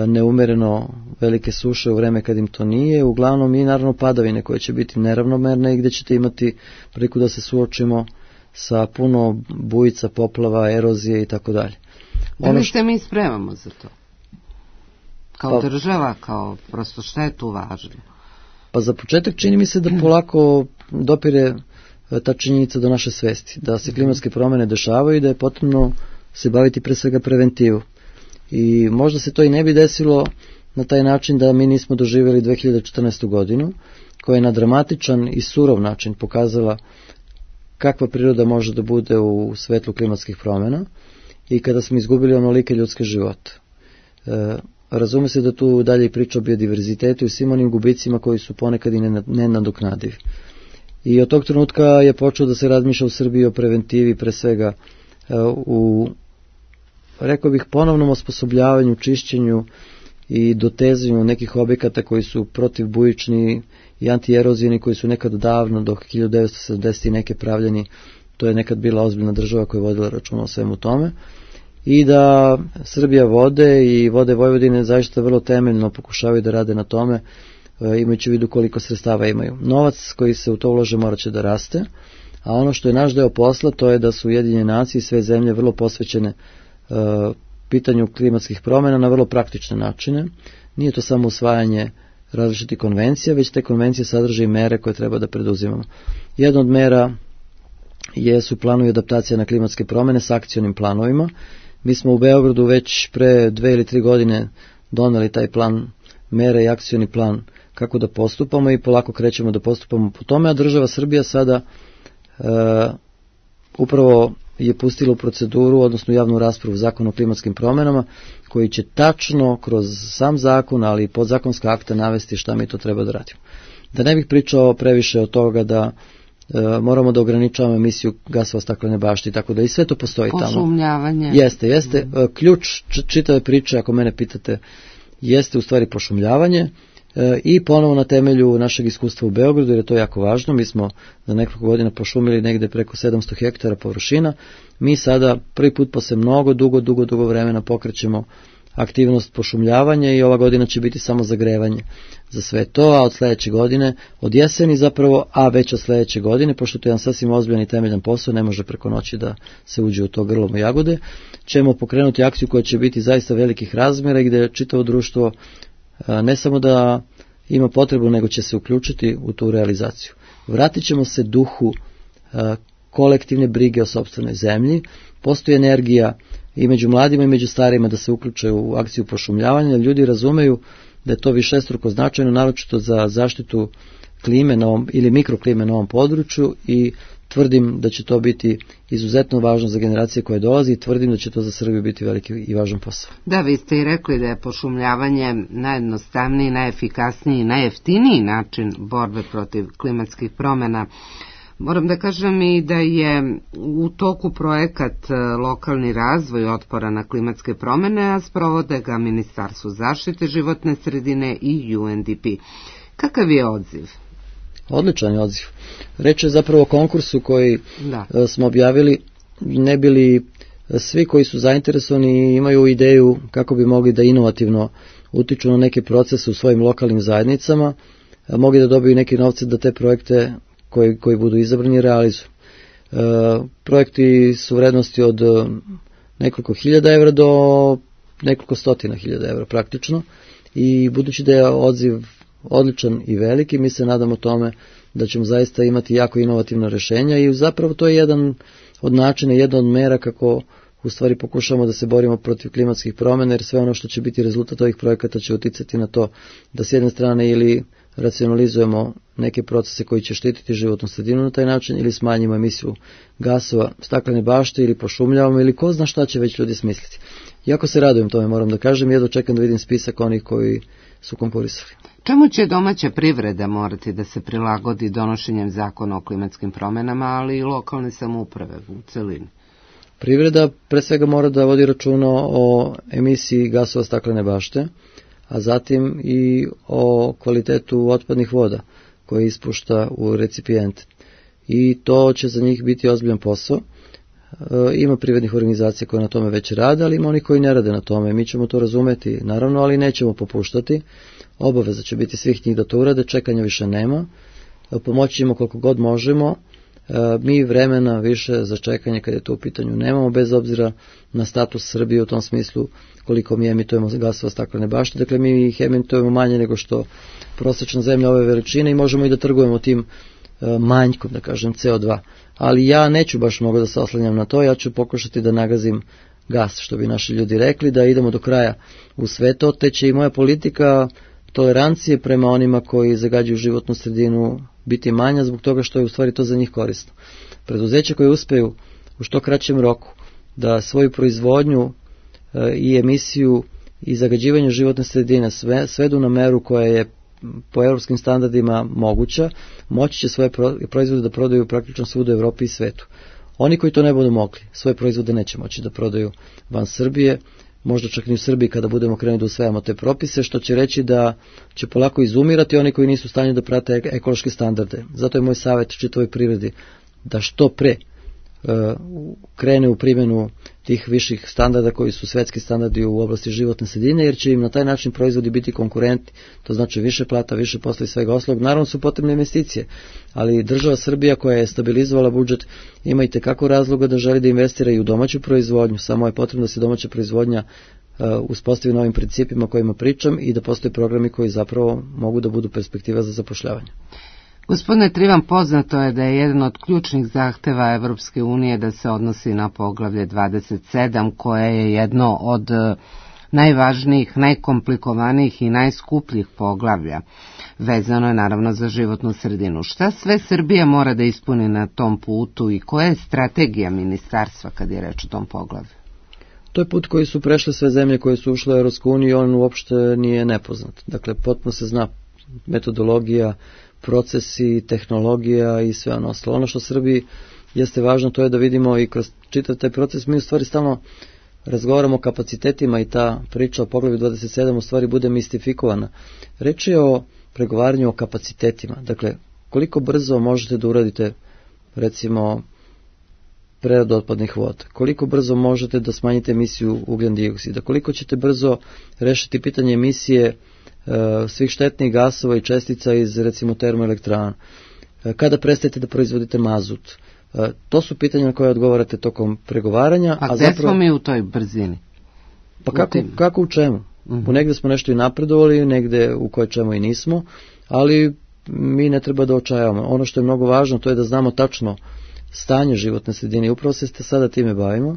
neumereno velike suše u vreme kad im to nije, uglavnom i naravno padavine koje će biti neravnomerne i gdje ćete imati priliku da se suočimo sa puno bujica, poplava, erozije i tako dalje. Da li se mi spremamo za to? Kao pa, država, kao prosto šta je tu važno? Pa za početak čini mi se da polako dopire ta činjenica do naše svesti, da se klimatske promjene dešavaju i da je potrebno se baviti pre svega preventivu. I možda se to i ne bi desilo na taj način da mi nismo doživjeli dve hiljade četrnaestu. godinu, koja je na dramatičan i surov način pokazala kakva priroda može da bude u svetlu klimatskih promjena i kada smo izgubili onolike ljudske živote. E, razume se da tu dalje i priča o biodiverzitetu i svim onim gubicima koji su ponekad i nenadoknadivi. I od tog trenutka je počeo da se razmišlja u Srbiji o preventivi, pre svega u, rekao bih, ponovnom osposobljavanju, čišćenju i dotezanju nekih objekata koji su protivbujični i antierozijeni, koji su nekad davno, do hiljadu devetsto sedamdeset i neke pravljeni. To je nekad bila ozbiljna država koja je vodila računa o svemu tome. I da Srbija vode i vode Vojvodine zaista vrlo temeljno pokušavaju da rade na tome, imajući u vidu koliko sredstava imaju. Novac koji se u to ulaže morat će da raste, a ono što je naš deo posla to je da su Ujedinjene nacije i sve zemlje vrlo posvećene uh, pitanju klimatskih promjena na vrlo praktične načine. Nije to samo usvajanje različitih konvencija, već te konvencije sadrže i mere koje treba da preduzimamo. Jedna od mera jesu planovi adaptacije na klimatske promjene s akcionim planovima. Mi smo u Beogradu već pre dve ili tri godine doneli taj plan mere i akcioni plan kako da postupamo i polako krećemo da postupamo po tome, a država Srbija sada e, upravo je pustila u proceduru, odnosno javnu raspravu zakon o klimatskim promjenama, koji će tačno kroz sam zakon, ali i podzakonska akta navesti šta mi to treba da radimo. Da ne bih pričao previše od toga da e, moramo da ograničavamo emisiju gasova staklene bašte i tako da i sve to postoji tamo. Pošumljavanje. Jeste, jeste. Mm. Ključ čitave priče, ako mene pitate, jeste u stvari pošumljavanje e, i ponovo na temelju našeg iskustva u Beogradu, jer je to jako važno. Mi smo za nekoliko godina pošumili negde preko sedamsto hektara površina. Mi sada prvi put posle mnogo, dugo, dugo, dugo vremena pokrećemo aktivnost pošumljavanja i ova godina će biti samo zagrevanje za sve to, a od sledeće godine, od jeseni zapravo, a već od sledeće godine, pošto to je jedan sasvim ozbiljan i temeljan posao, ne može preko noći da se uđe u to grlom i jagode, ćemo pokrenuti akciju koja će biti zaista velikih razmjera i gde čitavo društvo ne samo da ima potrebu, nego će se uključiti u tu realizaciju. Vratit ćemo se duhu kolektivne brige o sopstvenoj zemlji, postoji energija i među mladima i među starima da se uključe u akciju pošumljavanja. Ljudi razumeju da je to višestruko značajno, naročito za zaštitu klime na ovom, ili mikroklime na ovom području, i tvrdim da će to biti izuzetno važno za generacije koje dolazi i tvrdim da će to za Srbiju biti veliki i važan posao. Da, vi ste i rekli da je pošumljavanje najjednostavniji, najefikasniji i najjeftiniji način borbe protiv klimatskih promjena. Moram da kažem i da je u toku projekat Lokalni razvoj otpora na klimatske promjene, a sprovode ga Ministarstvo zaštite životne sredine i U N D P. Kakav je odziv? Odličan je odziv. Reč je zapravo o konkursu koji da. smo objavili, ne bili svi koji su zainteresovani imaju ideju kako bi mogli da inovativno utiču na neke procese u svojim lokalnim zajednicama, mogli da dobiju neke novce da te projekte koji, koji budu izabrani realizuju. E, projekti su vrednosti od nekoliko hiljada evra do nekoliko stotina hiljada evra praktično, i budući da je odziv odličan i veliki, mi se nadamo tome da ćemo zaista imati jako inovativna rješenja i zapravo to je jedan od načina, jedna od mera kako u stvari pokušamo da se borimo protiv klimatskih promjena, jer sve ono što će biti rezultat ovih projekata će uticati na to da s jedne strane ili racionalizujemo neke procese koji će štititi životnu sredinu na taj način, ili smanjimo emisiju gasova staklene bašte, ili pošumljavamo, ili ko zna šta će već ljudi smisliti. Jako se radujem tome, moram da kažem, jedno čekam da vidim spisak onih koji su konkurisali. Čemu će domaća privreda morati da se prilagodi donošenjem zakona o klimatskim promjenama, ali i lokalne samouprave u celini? Privreda pre svega mora da vodi računa o emisiji gasova staklene bašte, a zatim i o kvalitetu otpadnih voda koje ispušta u recipijente. I to će za njih biti ozbiljan posao. E, ima privrednih organizacija koje na tome već rade, ali ima oni koji ne rade na tome. Mi ćemo to razumeti, naravno, ali nećemo popuštati. Obaveza će biti svih njih da to urade, čekanja više nema. E, pomoći ćemo koliko god možemo. E, mi vremena više za čekanje kad je to u pitanju nemamo, bez obzira na status Srbije u tom smislu koliko mi emitujemo gasova staklene bašte. Dakle, mi ih emitujemo manje nego što prosječna zemlja ove veličine i možemo i da trgujemo tim manjkom, da kažem, C O dva. Ali ja neću baš mnogo da se oslanjam na to, ja ću pokušati da nagazim gas, što bi naši ljudi rekli, da idemo do kraja u sve to, te će i moja politika tolerancije prema onima koji zagađuju životnu sredinu biti manja, zbog toga što je u stvari to za njih korisno. Preduzeća koje uspeju u što kraćem roku da svoju proizvodnju e, i emisiju i zagađivanje životne sredine sve, svedu na meru koja je po europskim standardima moguća, moći će svoje proizvode da prodaju praktično svuda u Evropi i svetu. Oni koji to ne budu mogli, svoje proizvode neće moći da prodaju van Srbije, možda čak ni u Srbiji kada budemo krenuli da usvajamo te propise, što će reći da će polako izumirati oni koji nisu u stanju da prate ekološke standarde. Zato je moj savjet čitavoj privredi da što pre uh, krene u primjenu tih viših standarda koji su svetski standardi u oblasti životne sredine, jer će im na taj način proizvodi biti konkurenti, to znači više plata, više posla i svega ostalog. Naravno su potrebne investicije, ali država Srbija koja je stabilizovala budžet ima i tekako razloga da želi da investira i u domaću proizvodnju, samo je potrebno da se domaća proizvodnja uh, uspostavi novim principima kojima pričam i da postoje programi koji zapravo mogu da budu perspektiva za zapošljavanje. Gospodine Trivan, poznato je da je jedan od ključnih zahteva Evropske unije da se odnosi na poglavlje dvadeset sedam, koje je jedno od najvažnijih, najkomplikovanijih i najskupljih poglavlja. Vezano je naravno za životnu sredinu. Šta sve Srbija mora da ispuni na tom putu i koja je strategija ministarstva kad je reč o tom poglavlju? To je put koji su prešle sve zemlje koje su ušle u Evropsku uniju i on uopšte nije nepoznat. Dakle, potpuno se zna metodologija, procesi, tehnologija i sve ono ostalo. Ono što Srbiji jeste važno, to je da vidimo i kroz čitav taj proces, mi u stvari stalno razgovaramo o kapacitetima i ta priča o poglavlju dvadeset sedam u stvari bude mistifikovana. Reč je o pregovaranju o kapacitetima. Dakle, koliko brzo možete da uradite, recimo, preradu otpadnih voda, koliko brzo možete da smanjite emisiju ugljen dioksida, koliko ćete brzo rešiti pitanje emisije svih štetnih gasova i čestica iz, recimo, termoelektrana. Kada prestajete da proizvodite mazut? To su pitanja na koje odgovarate tokom pregovaranja. A, a gde zapravo, smo mi u toj brzini? Pa kako, kako u čemu? Uh-huh. U negde smo nešto i napredovali, negde u koje čemu i nismo, ali mi ne treba da očajavamo. Ono što je mnogo važno, to je da znamo tačno stanje životne sredine i upravo se sada time bavimo.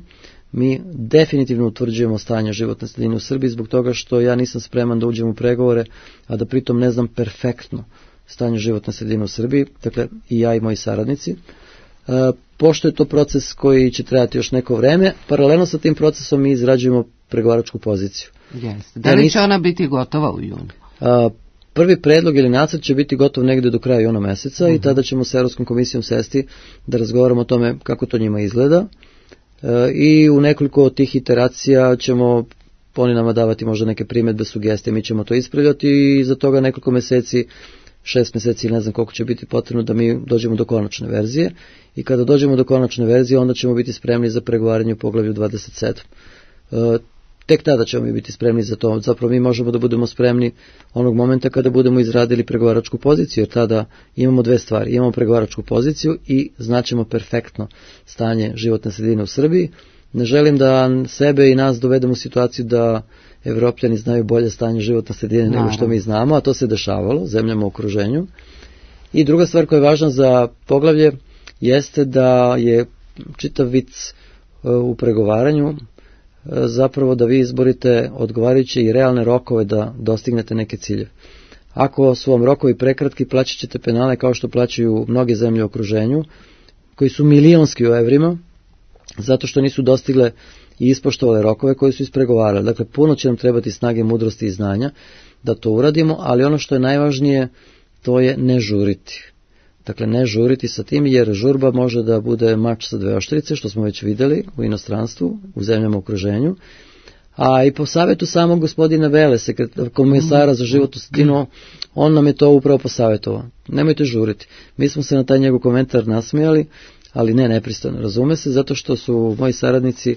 Mi definitivno utvrđujemo stanje životne sredine u Srbiji zbog toga što ja nisam spreman da uđem u pregovore, a da pritom ne znam perfektno stanje životne sredine u Srbiji, dakle i ja i moji saradnici. E, pošto je to proces koji će trajati još neko vreme, paralelno sa tim procesom mi izrađujemo pregovaračku poziciju. Jeste. Da li će ona biti gotova u junu? A, prvi predlog ili nacrt će biti gotov negde do kraja juna meseca uh-huh. i tada ćemo sa Evropskom komisijom sesti da razgovaramo o tome kako to njima izgleda. I u nekoliko od tih iteracija ćemo oni nama davati možda neke primjedbe, sugestije, mi ćemo to ispravljati i za toga nekoliko meseci, šest meseci ili ne znam koliko će biti potrebno da mi dođemo do konačne verzije i kada dođemo do konačne verzije onda ćemo biti spremni za pregovaranje u poglavlju dvadeset sedam. E, tek tada ćemo mi biti spremni za to, zapravo mi možemo da budemo spremni onog momenta kada budemo izradili pregovaračku poziciju, jer tada imamo dve stvari, imamo pregovaračku poziciju i znaćemo perfektno stanje životne sredine u Srbiji. Ne želim da sebe i nas dovedemo u situaciju da Evropljani znaju bolje stanje životne sredine nego što mi znamo, a to se dešavalo zemljama u okruženju. I druga stvar koja je važna za poglavlje jeste da je čitav vic u pregovaranju zapravo da vi izborite odgovarajuće i realne rokove da dostignete neke ciljeve. Ako su vam rokovi prekratki, plaćat ćete penale kao što plaćaju mnoge zemlje u okruženju, koji su milionski u evrima, zato što nisu dostigle i ispoštovali rokove koji su ispregovarali. Dakle, puno će nam trebati snage, mudrosti i znanja da to uradimo, ali ono što je najvažnije, to je ne žuriti. Dakle, ne žuriti sa tim, jer žurba može da bude mač sa dve oštrice, što smo već videli u inostranstvu, u zemljama u okruženju. A i po savjetu samog gospodina Vele, komisara za životnu sredinu, on nam je to upravo posavjetovao. Nemojte žuriti. Mi smo se na taj njegov komentar nasmijali, ali ne nepristojno, razume se, zato što su moji saradnici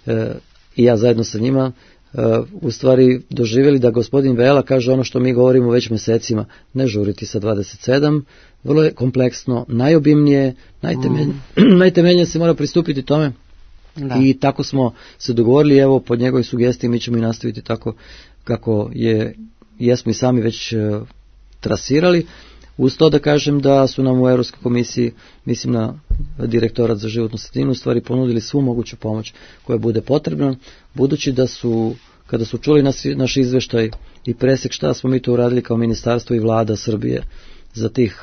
e, i ja zajedno sa njima e, u stvari doživjeli da gospodin Vela kaže ono što mi govorimo već mjesecima, ne žuriti sa dvadeset sedam, vrlo je kompleksno, najobimnije, najtemeljnije, mm. najtemeljnije se mora pristupiti tome. Da. I tako smo se dogovorili, evo pod njegovoj sugestiji mi ćemo i nastaviti tako kako je, jesmo i sami već e, trasirali. Uz to da kažem da su nam u Europskoj komisiji, mislim na direktorat za životnu sredinu, u stvari ponudili svu moguću pomoć koja bude potrebna, budući da su, kada su čuli nas, naš izveštaj i presek šta smo mi to uradili kao ministarstvo i vlada Srbije za tih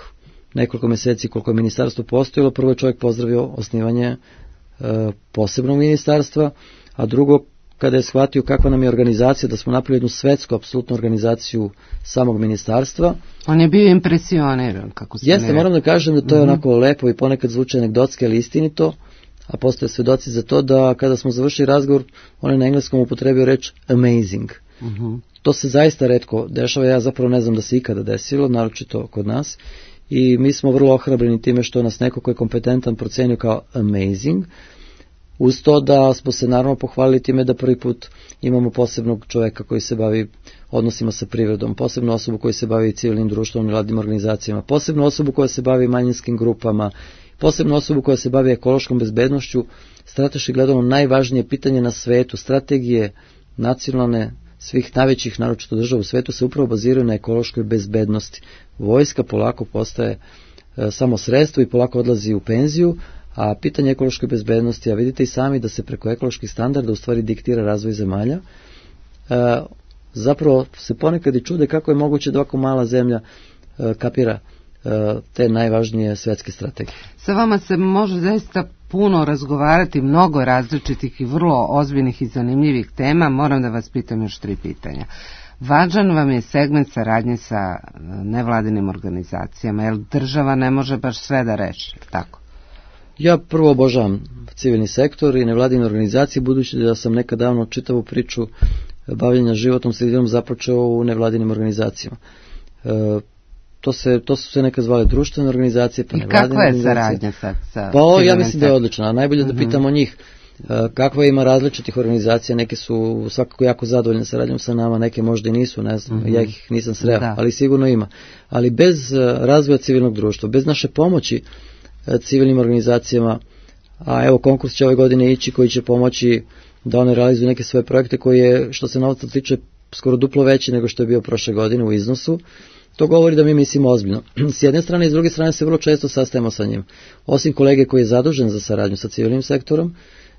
nekoliko mjeseci koliko je ministarstvo postojilo, prvo je čovjek pozdravio osnivanje e, posebnog ministarstva, a drugo kada je shvatio kakva nam je organizacija, da smo napravili jednu svetsku, apsolutnu organizaciju samog ministarstva. On je bio impresioniran, kako se Jeste, ne... moram da kažem da to je mm-hmm. onako lepo i ponekad zvuče anegdotski, ali istinito, a postoje svedoci za to da kada smo završili razgovor, on je na engleskom upotrebio reč amazing. Mm-hmm. To se zaista retko dešava, ja zapravo ne znam da se ikada desilo, naročito kod nas, i mi smo vrlo ohrabreni time što nas neko ko je kompetentan procenio kao amazing, uz to da smo se naravno pohvalili time da prvi put imamo posebnog čovjeka koji se bavi odnosima sa privredom, posebnu osobu koji se bavi civilnim društvom i mladim organizacijama, posebnu osobu koja se bavi manjinskim grupama, posebnu osobu koja se bavi ekološkom bezbednošću, strateški gledano najvažnije pitanje na svetu, strategije nacionalne svih najvećih naročito država u svetu se upravo baziraju na ekološkoj bezbednosti. Vojska polako postaje e, samo sredstvo i polako odlazi u penziju, a pitanje ekološke bezbednosti, a vidite i sami da se preko ekoloških standarda u stvari diktira razvoj zemalja, e, zapravo se ponekad i čude kako je moguće da ovako mala zemlja e, kapira e, te najvažnije svetske strategije. Sa vama se može zaista puno razgovarati, mnogo različitih i vrlo ozbiljnih i zanimljivih tema. Moram da vas pitam još tri pitanja. Važan vam je segment saradnje sa nevladinim organizacijama, jer država ne može baš sve da reši, tako? Ja prvo obožavam civilni sektor i nevladine organizacije, budući da sam nekad davno čitavu priču bavljenja životnom sredinom započeo u nevladinim organizacijama. E, to, se, to su se nekad zvale društvene organizacije, pa nevladine organizacije. I kakva je saradnja sad sa Pa o, ja mislim da je odlična, a najbolje da pitamo njih. Kakva ima različitih organizacija, neke su svakako jako zadovoljne saradnjom sa nama, neke možda i nisu, ne znam, mm-hmm. ja ih nisam sreo, da. ali sigurno ima. Ali bez razvoja civilnog društva, bez naše pomoći civilnim organizacijama, a evo konkurs će ove godine ići koji će pomoći da one realizuju neke svoje projekte koji je, što se novca tiče, skoro duplo veći nego što je bio prošle godine u iznosu. To govori da mi mislimo ozbiljno. S jedne strane i s druge strane se vrlo često sastajemo sa njim. Osim kolege koji je zadužen za saradnju sa civilnim sektorom,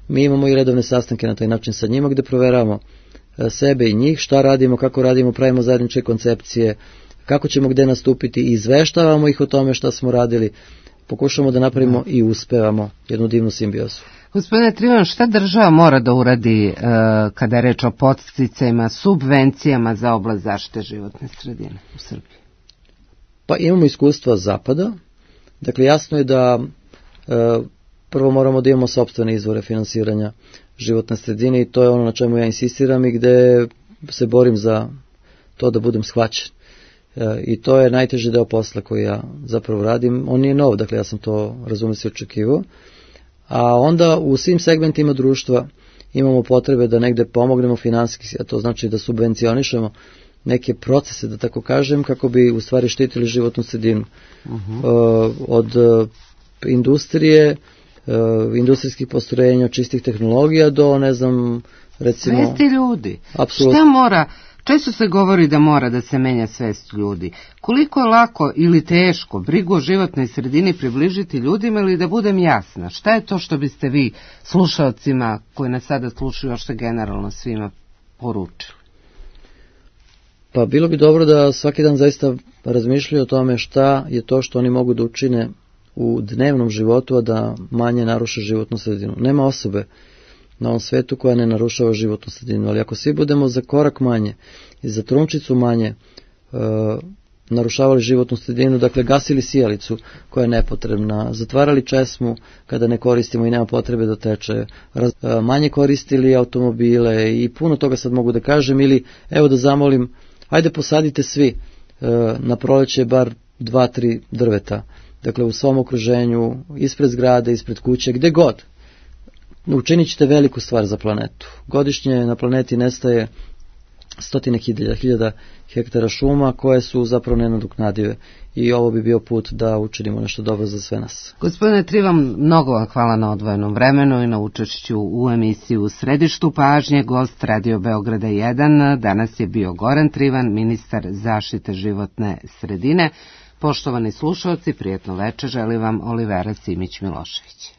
mi imamo i redovne sastanke na taj način sa njima gdje proveravamo sebe i njih, šta radimo, kako radimo, pravimo zajedničke koncepcije, kako ćemo gdje nastupiti i izveštavamo ih o tome šta smo radili, pokušamo da napravimo i uspevamo jednu divnu simbiozu. Gospodine Trivan, šta država mora da uradi e, kada je reč o podsticajima, subvencijama za oblast zaštite životne sredine u Srbiji? Pa imamo iskustva zapada, dakle jasno je da e, prvo moramo da imamo sopstvene izvore finansiranja životne sredine i to je ono na čemu ja insistiram i gde se borim za to da budem shvaćen. E, I to je najteži deo posla koji ja zapravo radim. On nije nov, dakle ja sam to razume se očekivao. A onda u svim segmentima društva imamo potrebe da negde pomognemo finansijski, a to znači da subvencionišemo neke procese, da tako kažem, kako bi u stvari štitili životnu sredinu. Uh-huh. E, od industrije, Uh, industrijskih postrojenja, čistih tehnologija do, ne znam, recimo... Svesti ljudi. Apsolutno. Šta mora, često se govori da mora da se menja svest ljudi. Koliko je lako ili teško brigu o životnoj sredini približiti ljudima ili da budem jasna? Šta je to što biste vi slušalcima koji nas sada slušaju još se generalno svima poručili? Pa bilo bi dobro da svaki dan zaista razmišljaju o tome šta je to što oni mogu da učine u dnevnom životu, a da manje naruše životnu sredinu. Nema osobe na ovom svetu koja ne narušava životnu sredinu. Ali ako svi budemo za korak manje i za trunčicu manje uh, narušavali životnu sredinu, dakle gasili sijalicu koja je nepotrebna, zatvarali česmu kada ne koristimo i nema potrebe da teče, raz, manje koristili automobile i puno toga sad mogu da kažem, ili evo da zamolim, ajde posadite svi na proleće bar dva, tri drveta, dakle u svom okruženju, ispred zgrade, ispred kuće, gde god. Učinit ćete veliku stvar za planetu. Godišnje na planeti nestaje stotine hiljada, hiljada hektara šuma koje su zapravo nenadoknadive i ovo bi bio put da učinimo nešto dobro za sve nas. Gospodine Trivan, mnogo vam hvala na odvojenom vremenu i na učešću u emisiji U središtu pažnje. Gost Radio Beograda jedan danas je bio Goran Trivan, ministar zaštite životne sredine. Poštovani slušalci, prijetno veče želi vam Olivera Simić Milošević.